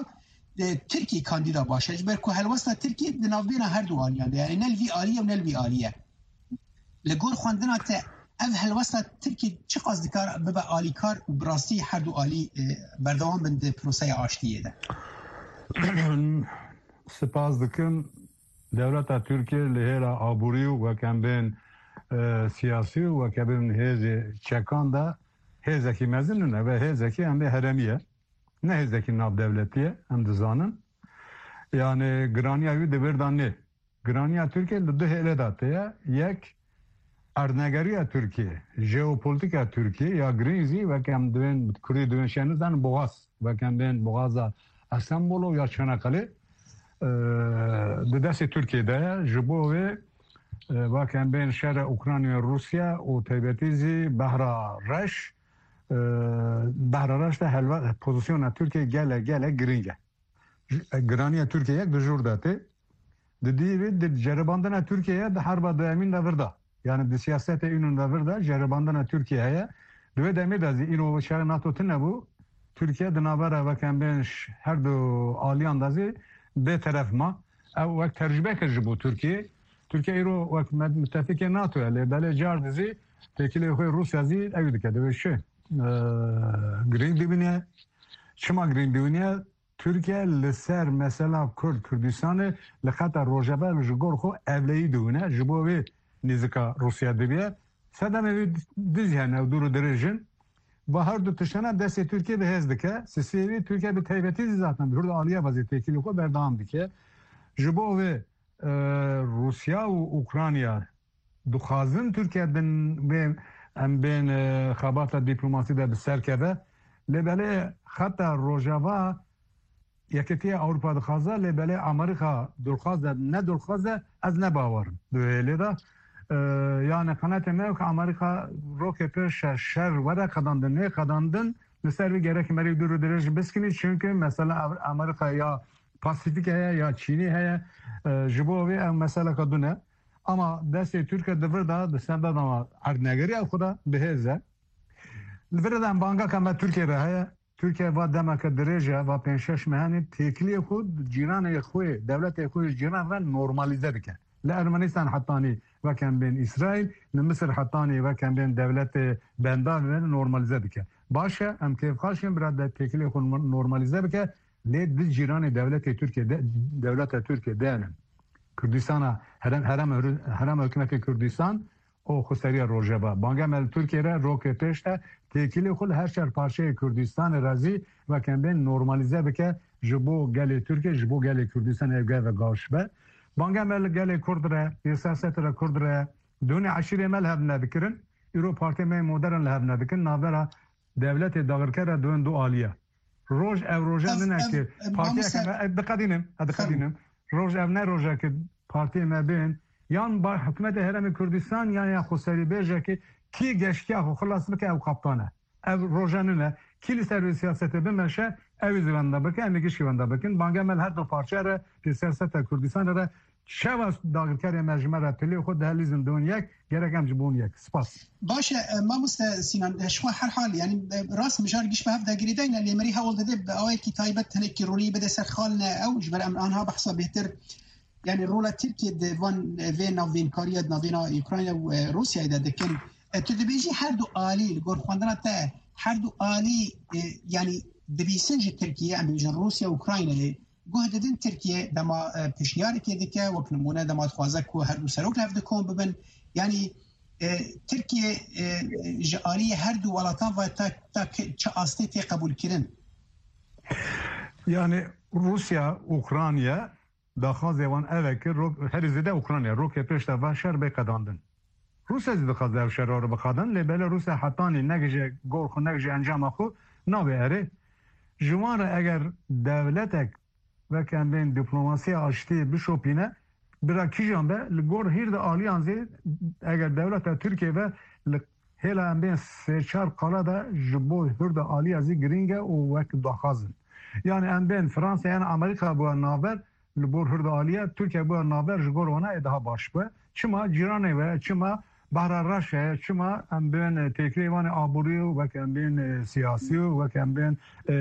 e, Tirkî kandîda baş e, ji ber ku helwesta Tirkî di navbêna her du aliyan de, yani ne li vî alî ye û ne li vî alî ye. Li gor xwendina te ev helwesta Tirkî çiqas dikar bibe alîkar û bi rastî her du alî, e, berdewam bin di proseya aştiyê de? Spas dikim. Dewleta Tirkiye li hêla aborî û wek em bên, e, siyasî û wek em bên hêzê çekan de hêzekî mezin in. Ev e hêzekî em bê heremî ye. Ne hêzekî navdewletî ye, em dizanin. Yani giraniya wî di vir de nê. Giraniya Tirkiye li du hêlê de tê ye. Yek, erdnegeriya Tirkiye, jeopolîtîka Tirkiye ya girîng jî, wek em divên, kurdî divên şêniz dan boğaz, wek em bên boğaza Estenbolo ya Çanakkale, e, di destê Tirkiye de ye. Ji bo wê, e, wek em bên şerê Ukrayna Rûsya û taybetî jî Behra Reş, e, Behra Reş de helwe-, pozisyona Tirkiye gelek, gelek girîng e. Ji-, e, giraniya Tirkiye yek di jor de tê. Di dî vê di ceribandina Tirkiye di herba duyemîn de vir de. Yani di siyasetê înûn de vir de ceribandina Tirkiye heye. Di wê demê de zî îro şerê NATO tune bû. Tirkiye di navbera wek em bên ş-, her du aliyan de zî bê teref ma. Ew wek tecrube kir ji bo Tirkiye. Tirkiye îro wek med-, müttefikê NATO ye. Lê belê car dizî têkilê xwe Rûsya zî ew dike. Divê şi, e, girîng dibîne. Çima girîng dibîne? Tirkiye li ser mesela Kurd, Kurdistanê li xeta Rojava ji gor xwe ewleyî diwine, ji bo wê nêzika Rûsya dibiye. Sedemê wî dizî hene ew dûr û dirêj in. Va her du tiştana destê Tirkiye bi hêz dike. Sisê wî Tirkiye bi taybetî zî zaten bi hurda aliye vazî têkilî xwe berdewam dike. Ji bo wê, e, Rûsya û Ukrayna dixwazin Tirkiye din vê em bên, e, xebata dîplomasî de bi ser keve. Lê belê xeta Rojava Yekîtiya Ewropa dixwaze, lê belê Amerîka durxwaze, ne durxwaze, ez ne bawer im di wê hêlê de. E, yani qenetê me ku Amerîka rokê pir şer, şer were qedandin, nê qedandin, li ser vî gerek merî dûr û dirêj biskinî, çünkü mesela Amerîka ya Pasifik heye, ya Çînî heye, e, ji bo vê ev meseleka dune. Ama destê Tirkiye di vir de, di sendana erdnegeriya xwe de bi hêz e. Li vir de em bangeka me Tirkiye re heye. Tirkiye va demeke dirêj e, va pênc şeş mehanê têkiliyê xwe cîranê xwe, dewletê xwe ji cîran re normalîze dike. Li Ermenistan hetanî wek em bên Îsraîl, li Misir hetanî wek em bên dewletê bendar re normalîze dike. Baş e, em kêfxaş in bira de têkiliyê xwe normalîze bike, lê di cîranê dewletê Tirkiye de, dewleta Tirkiye de ne. Kurdistana, herem, herem, herem hikûmetê Kurdistan, û xweseriya Rojava. Banga me li Tirkiye re rokê pêş de têkilê xwe li her çar parçeyê Kurdistanê re zî wek em bên normalîze bike ji bo gelê Tirkiye, ji bo gelê Kurdistanê ev gel ve gaş be. Banga me li gelê Kurd re, yê siyasetê re Kurd re, dûnê eşîrê me li hev nedikirin. Îro partiyê me yê modern li hev nedikin. Navbera dewletê dagirker re dûn du aliye. Roj ev roja Ev, nine ev, ki ev, partiyeke mamoste me, e, diqedînim, e, diqedînim. roj, ev ne rojekî partiyê me bên, yan ba-, hikûmetê Herêmê Kurdistan, yan ya xweserîbêjekî, kî geştiya xwe xilas bike, ew kaptan e. Ev roje nîne. Kî li ser vê siyasetê bimeşe, ew ê zî wenda bike, em ê gişkî wenda bikin. Banga me li her du parçe re, li siyaseta Kurdistanê re, çawa dagirkerê me ji me re pilê xwe dihêlîzin don yek, gerek em ji bon yek. Spas. Baş e, e, mamoste Sinan, e, ji xwe her hal, yanî, e, rast mijar giş bi hev de girêdayne, lê merî hewl dide bi awayekî taybet hinekî ronî bide ser xalne ew, ji ber em anha behsa bêhtir, yanî rola Tirkiye di van, e, vê navbênkariya di navbêna Ukrayna û, e, Rûsyayê de dikin. E, tu dibêjî her du alî, li gor xwendina te, her du alî, e, yanî dibîsin ji Tirkiye, em bêjin Rûsya û Ukraynayê, guh didin Tirkiye dema, e, pişniyarekê dike, wek nimûne dema dixwaze ku her du serok li hev dikom bibin. Yanî, e, Tirkiye, e, ji aliyê her du welatan ve ta, ta ki-, çi astê tê qebûlkirin? Yani Rusya, Ukrayna daxwazê wan ev e ki ro-, herî zêde Ukrayna rokê pêş de va şer bê qedandin. Rûsya zî dixwaze ev şer ro biqedin, lê belê Rûsya hetanî negije gor xwe, negije encama xwe, nabe erê. Ji wan re eger dewletek wek em bên diplomasiya aştiyê bişopîne, bira kîjan be, li gor hîrde aliyan zî eger dewleta Tirkiye be, li hêla em bên sê çar qala de ji bo hûrde aliya zî girîng e û wek daxwaz in. Yani em bên Fransa yan Amerîka bû navber, li bor hûrde aliya Tirkiye bû navber ji gor wana ê daha baş be. Çima cîranê we, çima Behra Reş e, çima em bên têkilê wan ê aborî û wek em bên, e, siyasî û wek em bên, e,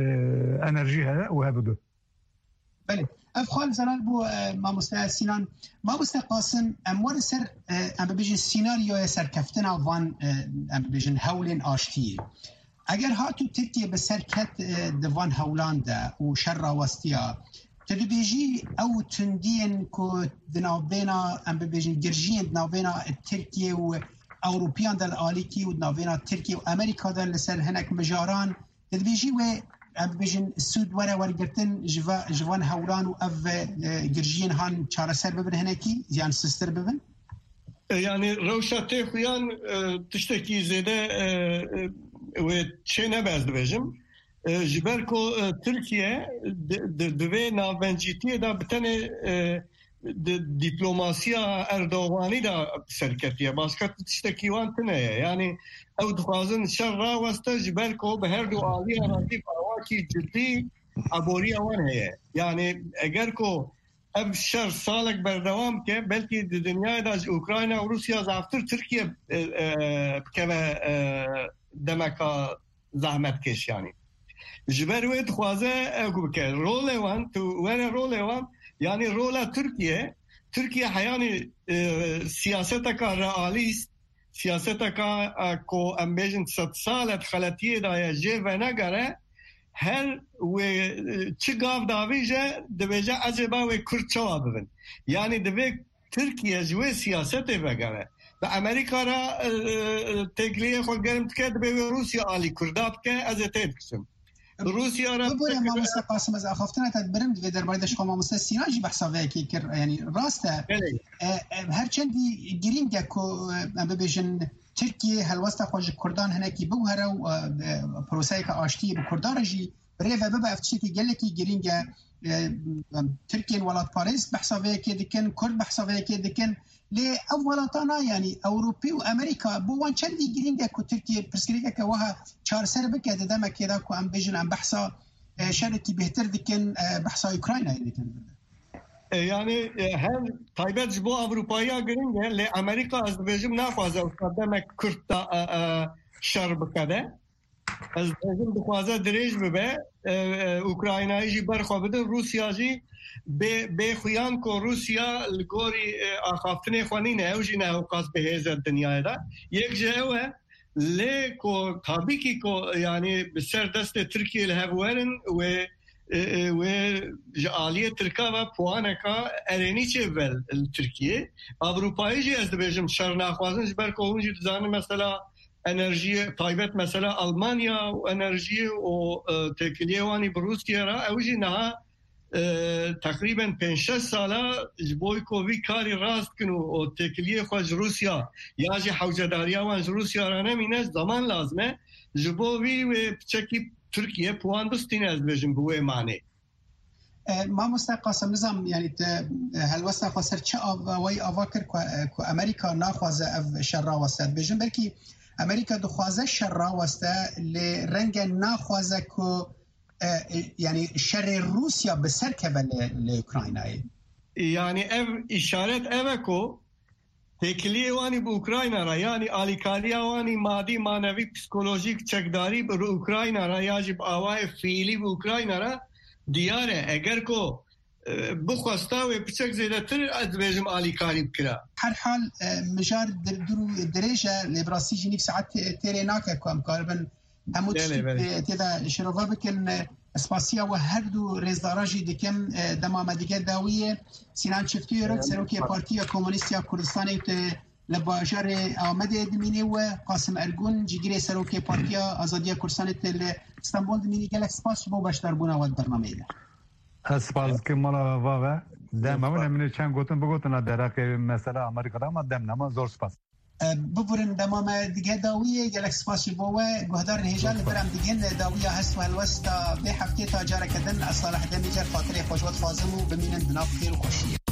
enerjî heye û hev du. Belê. Ev xal zelal bû, e, mamoste Sinan. Mamoste Qasim, em werin ser, e, em bibêjin sînaryoya serkeftina van, e, em bibêjin hewlên aştiyê. Eger hat û Tirkiye bi ser ket, e, di van hewlan de û şer rawestiya, tu dibêjî ew tundiyên ku di navbêna, em bibêjin girjiyên di navbêna Tirkiye û Ewropiyan de li alîkî û di navbêna Tirkiye û Amerîka de li ser hinek mijaran, Te dibêjî wê, em bibêjin, sûd were wergirtin ji va-, ji van hewlan û ev, e, girjiyên han çareser bibin hinekî, yan sistir bibin? E, yani rewşa tê xuyan, e, tiştekî zêde, e, e, wê çê nebe ez dibêjim. E, ji ber ku, e, Tirkiye di, di, di vê navbencîtiyê de bi tenê, e, di diplomasiya Erdoganî de serketiye. Başka tiştekî wan tune ye. Yani ew dixwazin şer raweste ji ber ku bi her du aliya re tê bi awakî cidî aboriya wan heye. Yani eger ku ev şer salek berdewam bike, belkî di dinyayê de ji Ukrayna û Rûsya zaftir Tirkiye, e, e, bikeve, e, demeka zehmetkêş yani. Ji ber wê dixwaze ew ku bike. Rolê wan, tu were rolê wan, yani rola Tirkiye, Tirkiye heyanî, e, siyaseteka realîst, siyaseteka, e, ku em bêjin sed sal e di xeletiyê de ye, jê venegere, her wê, e, çi gav davîje, dibêje, ecêba wê Kurd çawa bibin? Yani divê Tirkiye ji wê siyasetê vegere. Bi Amerîka re, e, e, têkiliyê xwe germ dike, dibê wê Rûsya alî Kurda bike, ez ê tê dikisim. Rûsya re Bibore, mamoste Qasim, ez axaftina te dibirim, divê derbarê de ji xwe mamoste Sînan jî behsa vê yekê kir. Yani rast e. Belê. E, e, her çendî girîng e ku, e, em bibêjin Tirkiye helwesta xwe ji Kurdan hinekî biguhere û, e, e, proseyeke aştiyê bi Kurdan re jî Bi rê ve bibe, ev tiştekî gelekî girîng e. E, Tirkiyên welatparêz behsa vê yekê dikin, Kurd behsa vê yekê dikin. Lê ev welatana, yanî Ewropî û Amerîka, bo wan çendî girîng e ku Tirkiye pirsgirêkeke wiha çareser bike di demekê de ku em bêjin em behsa, e, şerekî bêhtir dikin, e, behsa Ukraynayê dikin. E, yani, e, her taybet ji bo Ewropayiya girîng e, lê Amerîka, ez dibêjim, naxwaze wisa demek Kurd da, e, e, şer bikeve. Ez dibêjim dixwaze dirêj bibe, e, e, Ukraynayê jî ber xwe bidin, Rûsya jî bê, bê xuyan ku Rûsya li gorî, e, axaftinê xwe nîne, ew jî ne ewqas bi hêz e dinyayê de. Yek ji ew e, lê ku tabî kî ku, yanî bi ser destê Tirkiyê li hev werin, wê, e, e, wê ji aliyê Tirka ve puaneka erênî çêbibe li Tirkiyê. Ewropayî jî ez dibêjim şer naxwazin, ji ber ku hûn jî dizanin mesela enerjiyê, taybet mesela Almanya û enerjiyê û, e, têkiliyê wanî bi Rûsya re, ew jî niha, e, teqrîben pênc şeş sala ji bo ku vî karî rast kin û, û têkiliyê xwe ji Rûsya ya jî hewcedariya wan ji Rûsya re nemîne, zaman lazim e. Ji bo vî wê piçekî Tirkiye puan bistîne, ez dibêjim bi wê manê. E, mamoste Qasim Nizam, yani te, e, helwesta xwe ser çi av-, awayî ava kir ku, e, ku Amerîka naxwaze ev şer raweste? Dibêjin belkî Amerîka dixwaze şer raweste, lê renge naxwaze ku, e, e, yani şerê Rûsya bi ser keve li, li Ukraynayê. Yani ev işaret ev e ku têkiliyê wanî bi Ukrayna re, yani alîkariya wanî madî, manevî, psikolojîk, çekdarî bi Ukrayna re ya jî bi awayê fiîlî bi Ukrayna re diyar e. Eger ku, e, bixwesta wê piçek zêdetir, ez dibêjim alîkarî bikira. Her hal, e, mijar dir-, dur û dirêj e, lê bi rastî jî nîv saet tê-, têrê nake ku em karibin hemû Belê, tiştî belê. tê de şirove bikin. Spasiya we her du rêzdara jî dikim. E, dema me dige dawiyê. Sinan Çiftî Yörük, Serokê Partiya Komûnîst ya Kurdistanê te li bajarê Amedê dimînê we, Qasim Ergun, cîgirê Serokê Partiya Azadiya Kurdistanê te li Stenbol dimînî. Gelek spas ji bo beşdarbûna we di bernameyê de. Ez spas dikim mala va ve. Dem Zor hemin spas. Em çend gotin bigotin la deraqê mesela Amerîka de, ama dem nema, zor spas. E, biburin dema me dige dawiyê, gelek spas ji bo we. Guhdarên hêja, li vir em digihên dawiya hest û helwesta vê heftê. Ta careke din, ez Salih Demîcer xatirê xwe ji we dixwazim û bimînin di nav xêr û xweşiyê.